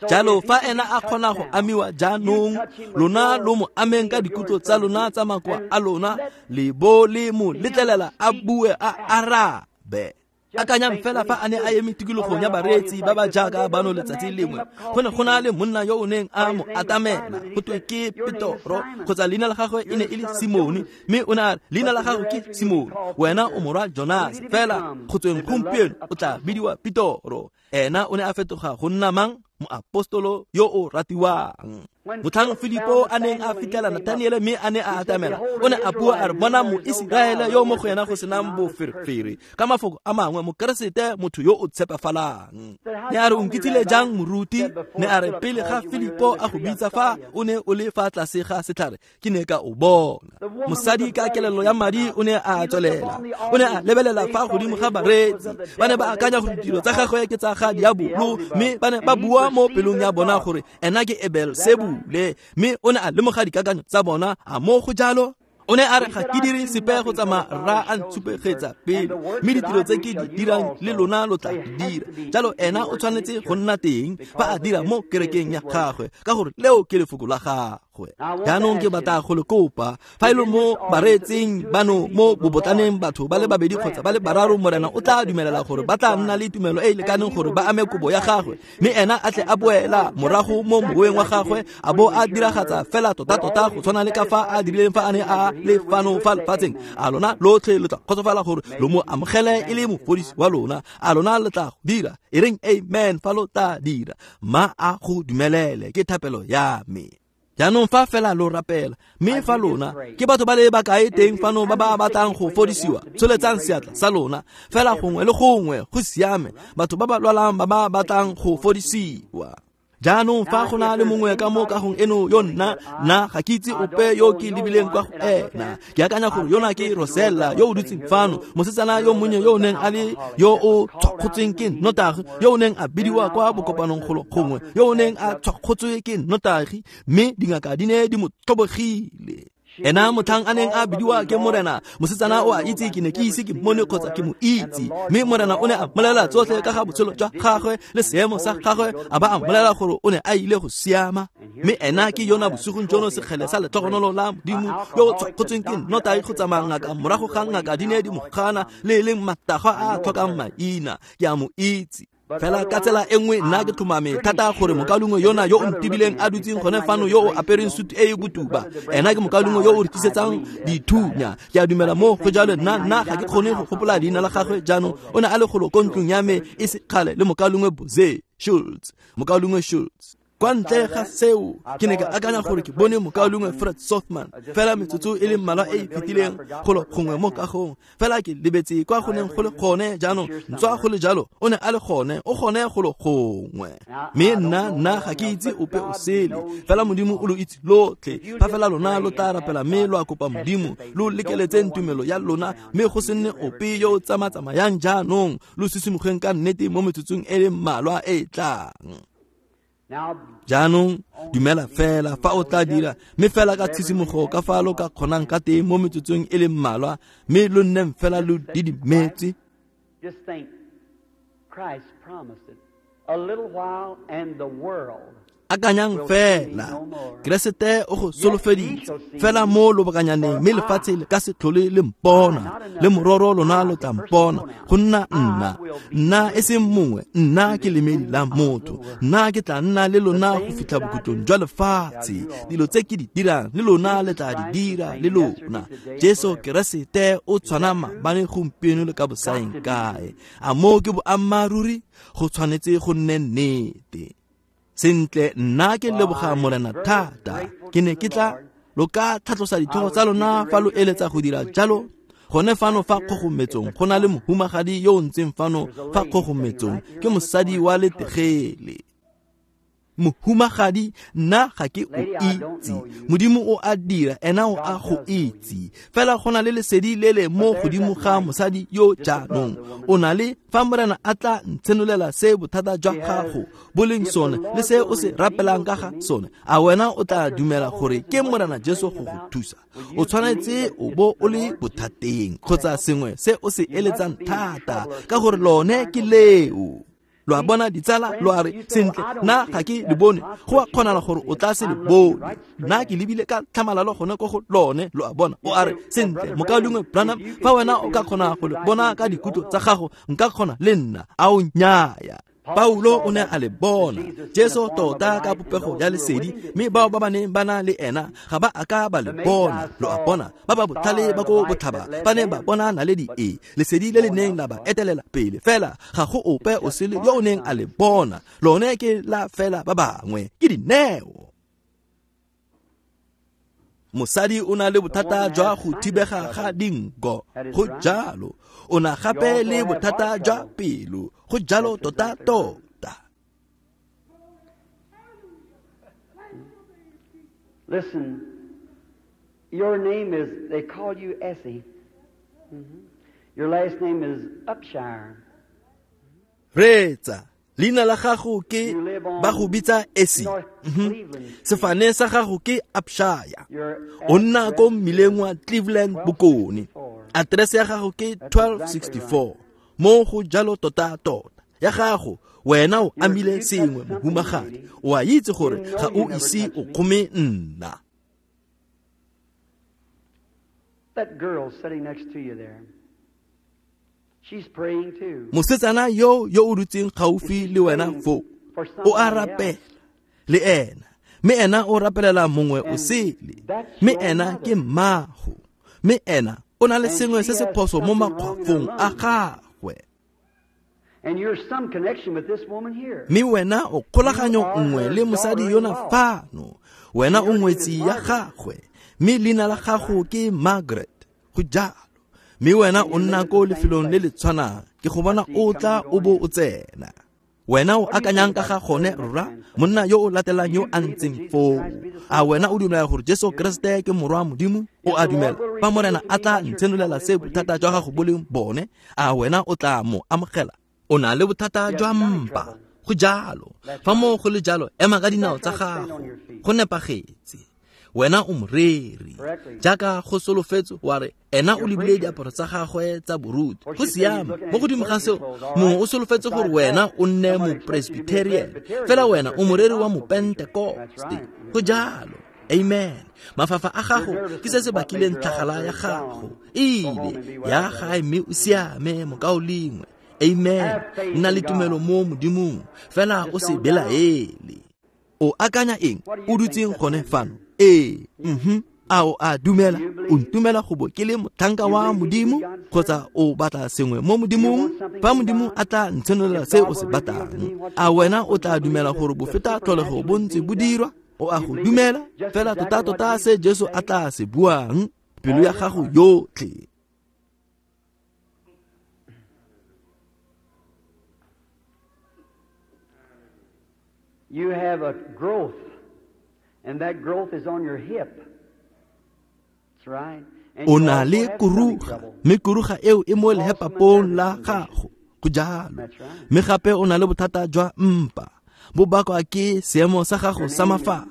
Jalo fa ena a kgona go amiwa jaanong, lona lo mo ameng ka dikutlo tsa lona tsa makoa a lona, le bo le mo letlelela a bue a arabe. Akanyang fela fa a ne a eme tikologong ya bareetsi ba ba jaaka bano letsatsi lengwe, go ne go na le monna yo o neng a mo atamela go twe ke Petoro, kgotsa leina la gagwe e ne e le Simone, mme o ne a re leina la gago ke Simone, wena o morwa Jonas, fela go tsweng gompieno o tla bidiwa Petoro. Ena o ne a fetoga go nna mang? Moapostolo yo o ratiwang. Motlhang Filipo a neng a fitlhela Nathaniele mme a ne a atamela, o ne a bua a re bona Moiseraele yo mo go yena go senang boferefere. Ka mafoko a mangwe, Mokeresete motho yo o tshepafalang. Ne a re o nkitsile jang moruti? Ne a re pele ga Filipo a go bitsa fa o ne o le fa tlase ga setlhare, ke ne ka o bona. Mosadi ka kelello ya madi o ne a tswelela, o ne a lebelela fa godimo ga bareetsi. Ba ne ba akanya gore ditiro tsa gagwe ke tsa ga diabolo, mme ba ne ba bua mo pelong ya bona gore ena ke Beelzebule, mme o ne a lemoga dikakanyo tsa bona. A mo go jalo? O ne a re ga ke dire sepe go tsamaya rra a ntshupegetsa pele, mme ditiro tse ke di dirang le lona lo tla di dira. Jalo ena o tshwanetse go nna teng fa a dira mo kerekeng ya gagwe, ka gore leo ke lefoko la gagwe. Jaanong ke batla go le kopa, fa e le mo bareetsing bano mo bobotlaneng batho ba le babedi kgotsa ba le bararo, Morena o tla dumelela gore ba tla nna le tumelo e e lekaneng gore ba ame kobo ya gagwe, mme ena a tle a boela morago mo moweng wa gagwe a bo a diragatsa fela tota-tota go tshwana le ka fa a dirileng fa a ne a le fano fa lefatsheng. A lona lotlhe lo tla kgotsofala gore lo mo amogele e le mofodisi wa lona? A lona le tla go dira? E reng amen fa lo tla dira. Ma a go dumelele, ke thapelo ya me. Jaanong fa fela lo rapela, mme fa lona ke batho ba le bakae teng fano ba ba batlang go fodisiwa, tsholetsang seatla sa lona fela gongwe le gongwe. Go siame, batho ba ba lwalang ba ba batlang go fodisiwa. Jaanong fa go na le mongwe ka mo kagong eno yo nna nna ga ke itse ope yo ke lebileng kwa go ena. Ke akanya gore yona ke Rosella yo o dutseng fano, mosetsana yo monnye yo o neng a le yo o tshwakgotsweng ke nnotagi, yo o neng a bidiwa kwa bokopanong golo gongwe, yo o neng a tshwakgotswe ke nnotagi, mme dingaka di ne di mo tlhobogile. Ena motlhang a neng a bidiwa ke Morena, mosetsana o a itse ke ne ke ise ke mmone kgotsa ke mo itse, mme Morena o ne a mmolelela tsotlhe ka ga botshelo jwa gagwe le seemo sa gagwe, a ba a mmolelela gore o ne a ile go siama. Mme ena ke yona bosigong jono sekgele sa letlhogonolo la Modimo yo o tshwakgotsweng ke nnotagi go tsamaya ngaka morago ga ngaka di ne di mo gana, le e leng matagwa a a tlhokang maina. Ke a mo itse. Fela ka tsela e nngwe nna ke tlhomame thata gore mokaulengwe yona yo o ntebileng a dutseng gone fano yo o apereng sutu e e botuba, ena ke mokaulengwe yo o re tlisetsang dithunya. Ke a dumela mo go jalo. Nna nna ga ke kgone go gopola leina la gagwe jaanong. O ne a le golo ko ntlong ya me e se kgale le mokaulengwe Boze Schultz. Mokaulengwe Schultz. Kwa ntle ga seo, ke ne ka akanya gore ke bone mokaulengwe Fred Sothman fela metsotso e le mmalwa e e fetileng golo gongwe mo kagong, fela ke lebetse kwa go neng go le gone jaanong. Ntswa go le jalo, o ne a le gone, o gone golo gongwe. Mme nna nna ga ke itse ope o sele, fela Modimo o lo itse lotlhe. Fa fela lona lo tla rapela mme lo a kopa Modimo, lo lekeletseng tumelo ya lona, mme go se nne ope yo o tsama-tsamayang jaanong, lo sisimogeng ka nnete mo metsotsong e le mmalwa e e tlang. Jaanong dumela fela fa o tla dira, mme fela ka tshisimogo ka fa lo ka kgonang ka teng mo metsotsong e le mmalwa, mme lo nneng fela lo didimetse. Akanyang fela, Keresete o go solofeditse fela mo lobakanyaneng, mme lefatshe le ka se tlhole le mpona, le mororo lona lo tla mpona. Go nna nna, nna e seng mongwe, nna ke lemedi la motho, nna ke tla nna le lona go fitlha bokhutlong jwa lefatshe. Dilo tse ke di dirang le lona le tla di dira le lona. Jesu Keresete o tshwana maabane, gompieno le ka bosaeng kae. A moo ke boammaaruri? Go tshwanetse go nne nnete. Sentle, nna ke leboga Morena thata. Ke ne ke tla lo ka tlhatlosa ditlhogo tsa lona fa lo eletsa go dira jalo. Gone fano fa kgogometsong go na le mohumagadi yo o ntseng fano fa kgogometsong, ke mosadi wa letegele. Mohumagadi, nna ga ke o itse. Modimo o a dira, ena o a go itse. Fela go na le lesedi le le mo godimo ga mosadi yo jaanong. O na le fa Morena a tla ntshenolela se bothata jwa gago bo leng sone le se o se rapelang ka ga sone, a wena o tla dumela gore ke Morena Jesu go go thusa? O tshwanetse o bo o le bothateng kgotsa sengwe se o se eletsang thata, ka gore lone ke leo. Lo a bona ditsala, lo a re sentle, nna ga ke le bone. Go a kgonala gore o tla se le bone. Nna ke lebile ka tlhamalalo gone ko go lone. Lo a bona, o a re sentle, mokaulengwe Branham, fa wena o ka kgona go le bona ka dikutlo tsa gago, nka kgona le nna. A o nnyaya. Paulo o ne a le bona Jesu tota ka popego ya lesedi, mme bao ba ba neng ba na le ena ga ba a ka ba le bona. Lo a bona, ba ba botlhale ba ko botlhaba ba ne ba bona naledi e, lesedi le le neng la ba etelela pele, fela ga go ope o sele yo o neng a le bona. Lone ke la fela ba bangwe, ke dineo. Mosadi o na le bothata jwa go thibega ga dinko, go jalo. O na gape le bothata jwa pelo, go jalo tota tota. Listen, your name is, they call you Essie. Mm-hmm. Your last name is Upshire. Retsa, leina la gago ke ba go bitsa Essie. Mm-hmm. Sefane sa gago ke Upshire. O nna ko mmileng wa Cleveland Bokone. Aterese ya gago ke twelve sixty-four. Mo go jalo tota tota. Ya gago, wena o amile sengwe mohumagadi. O a itse gore ga o ise o kgome nna. That girl sitting next to you there, she's praying too. Mosetsana yo yo o dutseng gaufi le wena foo, o a rapela le ena, mme ena o rapelela mongwe o sele, mme ena ke mmago, mme ena o na le sengwe se se phoso mo makgwafong a gagwe. And you're some connection with this woman here. Mme wena o kgolaganyo nngwe le mosadi yona fano, wena o ngwetsi ya gagwe, mme leina la gago ke Margaret, go jalo. Mme wena o nna ko lefelong le le tshwanang, ke go bona o tla o bo o tsena. Wena o akanyang ka ga gone rra, monna yo o latelang yo a ntseng foo. A wena o dumela gore Jesu Kriste ke morwa Modimo? O a dumela fa Morena a tla ntshenolela se bothata jwa gago bo leng bone, a wena o tla mo amogela? O na le bothata jwa mpa, go jalo. Fa mo go le jalo, ema ka dinao tsa gago, go nepagetse. Wena o moreri, jaaka go solofetse wa re ena o lebile diaparo tsa gagwe tsa boruti, go siame. Mo godimo ga seo, mongwe o solofetse gore wena o nne mopresbyterian, fela wena o moreri wa mopentekoste, go jalo. Amen. Mafafa a gago ke se se bakileng tlhagala ya gago, ile ya gae mme o siame mokaulengwe. Amen. Nna le tumelo mo Modimong, fela o se belaele. O akanya eng o dutseng gone fano? Ee, mhm. A o a dumela? O ntumela go bo ke le motlhanka wa Modimo, kgotsa o batla sengwe mo Modimong? Fa Modimo a tla ntshenolela se o se batlang, a wena o tla dumela gore bofeta tlholego bo ntse bo dirwa? O a go dumela fela tota tota se Jesu a tla se buang, pelo ya gago yotlhe. You have a growth, and that growth is on your hip. That's right. O na le kuruga, mme kuruga eo e mo lehepapong la gago, go jalo. Mme gape o na le bothata jwa mpa, bo bakwa ke seemo sa gago sa mafafa,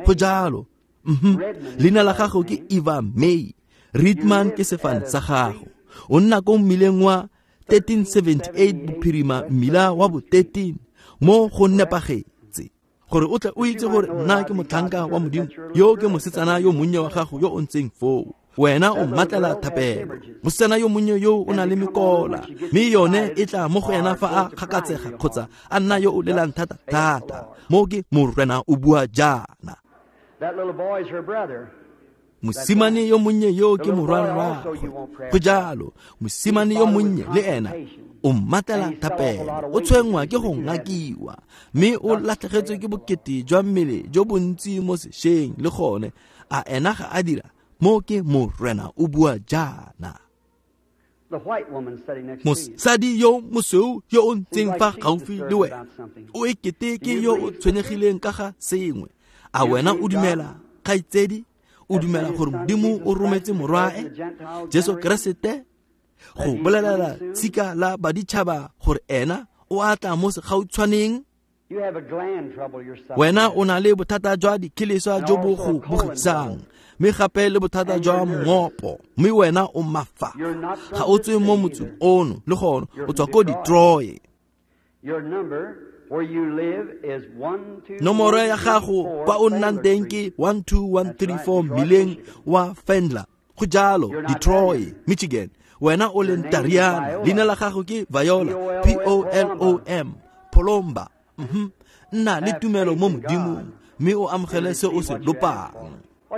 go jalo. Mhm. Leina la gago ke Eva May. Ritman ke sefane sa gago. O nna ko mmileng wa thirteen seventy-eight bophirima mmila wa bo thirteen, mo go nepagetse. Gore o tle o itse gore nna ke motlhanka wa Modimo, yo ke mosetsana yo monnye wa gago yo o ntseng foo. Wena o mmatlela thapelo. Mosetsana yo monnye yo o na le mekola, mme yone e tla mo go ena fa a kgakatsega kgotsa a nna yo o lelang thata thata. Mo ke Morena o bua jaana. Mosimane yo monnye yo ke morwarraagwe, go jalo. Mosimane yo monnye le ena o mmatlela thapelo, o tshwenngwa ke go ngakiwa, mme o latlhegetswe ke bokete jwa mmele jo bontsi mo sešweng le gone. A ena ga a dira? Mo ke Morena o bua jaana. Mosadi yo mosweu yo o ntseng fa gaufi le wena o ekete ke yo o tshwenyegileng ka ga sengwe. A wena o dumela, kgaitsedi? O dumela gore Modimo o rometse morwae Jesu Keresete go bolelela tshika la baditšhaba gore ena o a tla mo segautshwaneng? Wena o na le bothata jwa dikgeleswa jo bo go bogisang, mme gape le bothata jwa mongopo, mme wena o mafa. Ga o tswe mo motseng ono le gone, o tswa ko Detroit. Nomoro ya gago kwa o nnang teng ke one two one three four mmileng wa Fendler. Go jalo, Detroit, Michigan. Wena o leng Tariana. Leina la gago ke Viola, P O L O M, Polomba. Mm-hmm. Nna le tumelo mo Modimong, mme o amogele se o se lopang.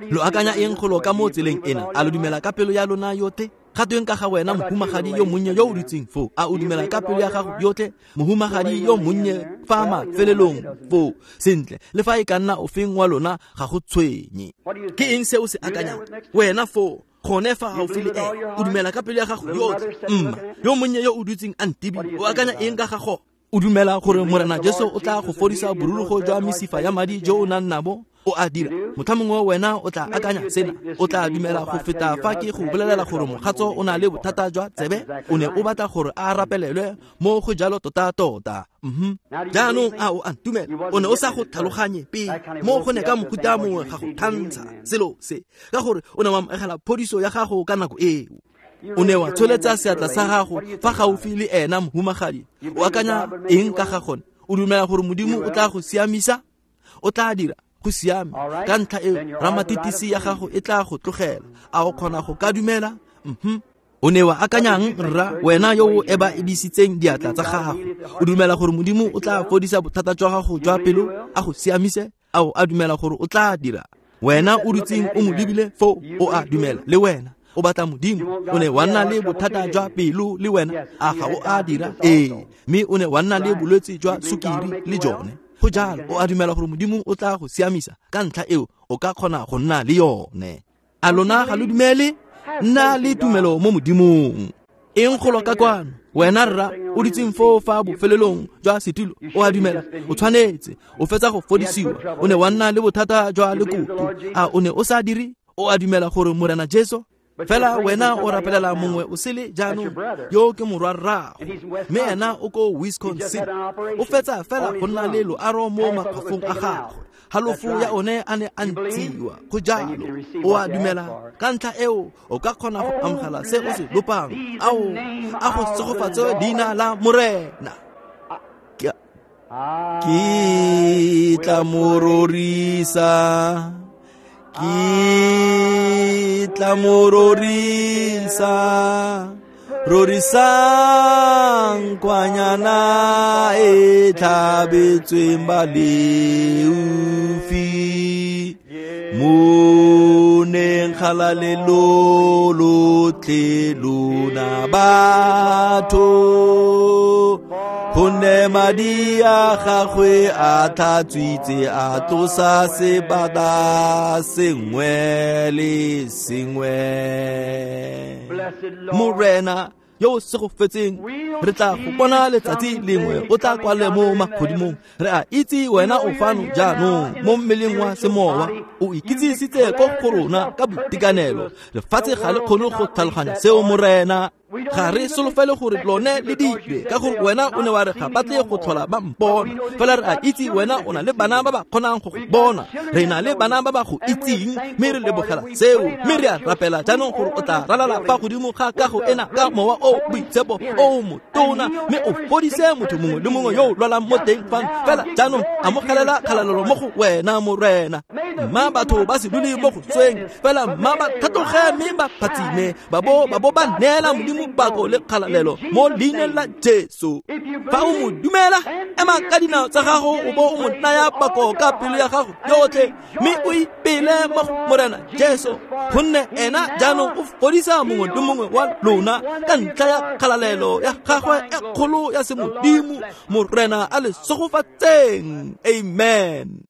Lo akanya eng golo ka mo tseleng ena? A lo dumela ka pelo ya lona yotlhe? Ga tweng ka ga wena mohumagadi yo monnye yo o dutseng foo? A o dumela ka pelo ya gago yotlhe? Mohumagadi yo monnye fa mafelelong foo. Sentle, le fa e ka nna ofeng wa lona ga go tshwenye. Ke eng se o se akanyang? Wena foo, gone fa gaufi le ene, o dumela ka pelo ya gago yotlhe? Mma, yo monnye yo o dutseng a ntebile, o akanya eng ka ga go? O dumela gore Morena Jesu o tla go fodisa borurugo jwa mesifa ya madi jo o nang nabo? O a dira. Motlha mongwe wena o tla akanya sena, o tla dumela go feta fa ke go bolelela gore mogatso o na le bothata jwa tsebe, o ne o batla gore a rapelelwe mo go jalo tota-tota. Mm-hmm. Jaanong a o a ntumela? O ne o sa go tlhaloganye pele, mo go ne ka mohuta mongwe ga go thantsha selo se, ka gore o ne wa amogela phodiso ya gago ka nako eo. O ne wa tsholetsa seatla sa gago fa gaufi le ena, mohumagadi. O akanya eng ka ga gone? O dumela gore Modimo o tla go siamisa? O tla dira go siame. Ka ntlha eo, ramatitisi ya gago e tla go tlogela. A o kgona go ka dumela? Mm-hmm. O ne wa akanyang, rra, wena yo o eba-ebisitseng diatla tsa gago? O dumela gore Modimo o tla fodisa bothata jwa gago jwa pelo, a go siamise? A o a dumela gore o tla dira? Wena o dutseng o mo lebile foo, o a dumela le wena? O batla Modimo? O ne wa nna le bothata jwa pelo le wena, a ga o a dira? Ee, mme o ne wa nna le bolwetse jwa sukiri le jone. Go jalo, o a dumela gore Modimo o tla go siamisa? Ka ntlha eo, o ka kgona go nna le yone. A lona ga lo dumele? Nna le tumelo mo Modimong. Eng golo ka kwano? Wena rra, o dutseng foo fa bofelelong jwa setulo, o a dumela? O tshwanetse, o fetsa go fodisiwa. O ne wa nna le bothata jwa lekoto. A o ne o sa dire? O a dumela gore Morena Jesu? Fela wena o rapelela mongwe o sele jaanong, yo ke morwa rrago, mme ena o ko Wisconsin. O fetsa fela go nna le loaro mo makgwafong a gagwe, halofo ya one a ne a ntshiwa. Go jalo, o a dumela? Ka ntlha eo, o ka kgona go amogela se o se lopang. Ao, a go segofatse leina la Morena. Ke tla mo rorisa, ke tla mo rorisa, rorisang kwanyana e tlhabetsweng baleofi. Mo neng kgalalelo lotlhe lona batho, gonne madi a gagwe a tlhatswitse a tlosa sebata sengwe le sengwe. Morena yo o segofetseng, re tla go bona letsatsi lengwe o tla kwale mo magodimong. Re a itse wena o fano jaanong mo mmeleng wa semowa, o ikitsisitse ko go rona ka boitekanelo. Lefatshe ga le kgone go tlhaloganya seo, Morena. Ga re solofele gore lone le dire, ka gore wena o ne wa re ga batle go tlhola ba mpona. Fela re a itse wena o na le bana ba ba kgonang go go bona, re na le bana ba ba go itseng, mme re lebogela seo. Mme re a rapela jaanong gore o tla ralala fa godimo ga kago ena ka mowa o boitshepo o motona, mme o fodise motho mongwe le mongwe yo o lwalang mo teng fano. Fela jaanong amogelela kgalalelo mo go wena, Morena. Mma batho ba se dule mo go tsweng, fela mma ba tlhatloge mme ba phatsime, ba bo ba bo ba neela Modimo pako le kgalalelo mo leineng la Jesu. Fa o mo dumela, ema ka dinao tsa gago o bo o mo naya pako ka pelo ya gago yotlhe, mme o ipele mo go Morena Jesu, gonne ena jaanong o fodisa mongwe le mongwe wa lona ka ntlha ya kgalalelo ya gagwe e kgolo ya semodimo. Morena a le segofatseng. Amen.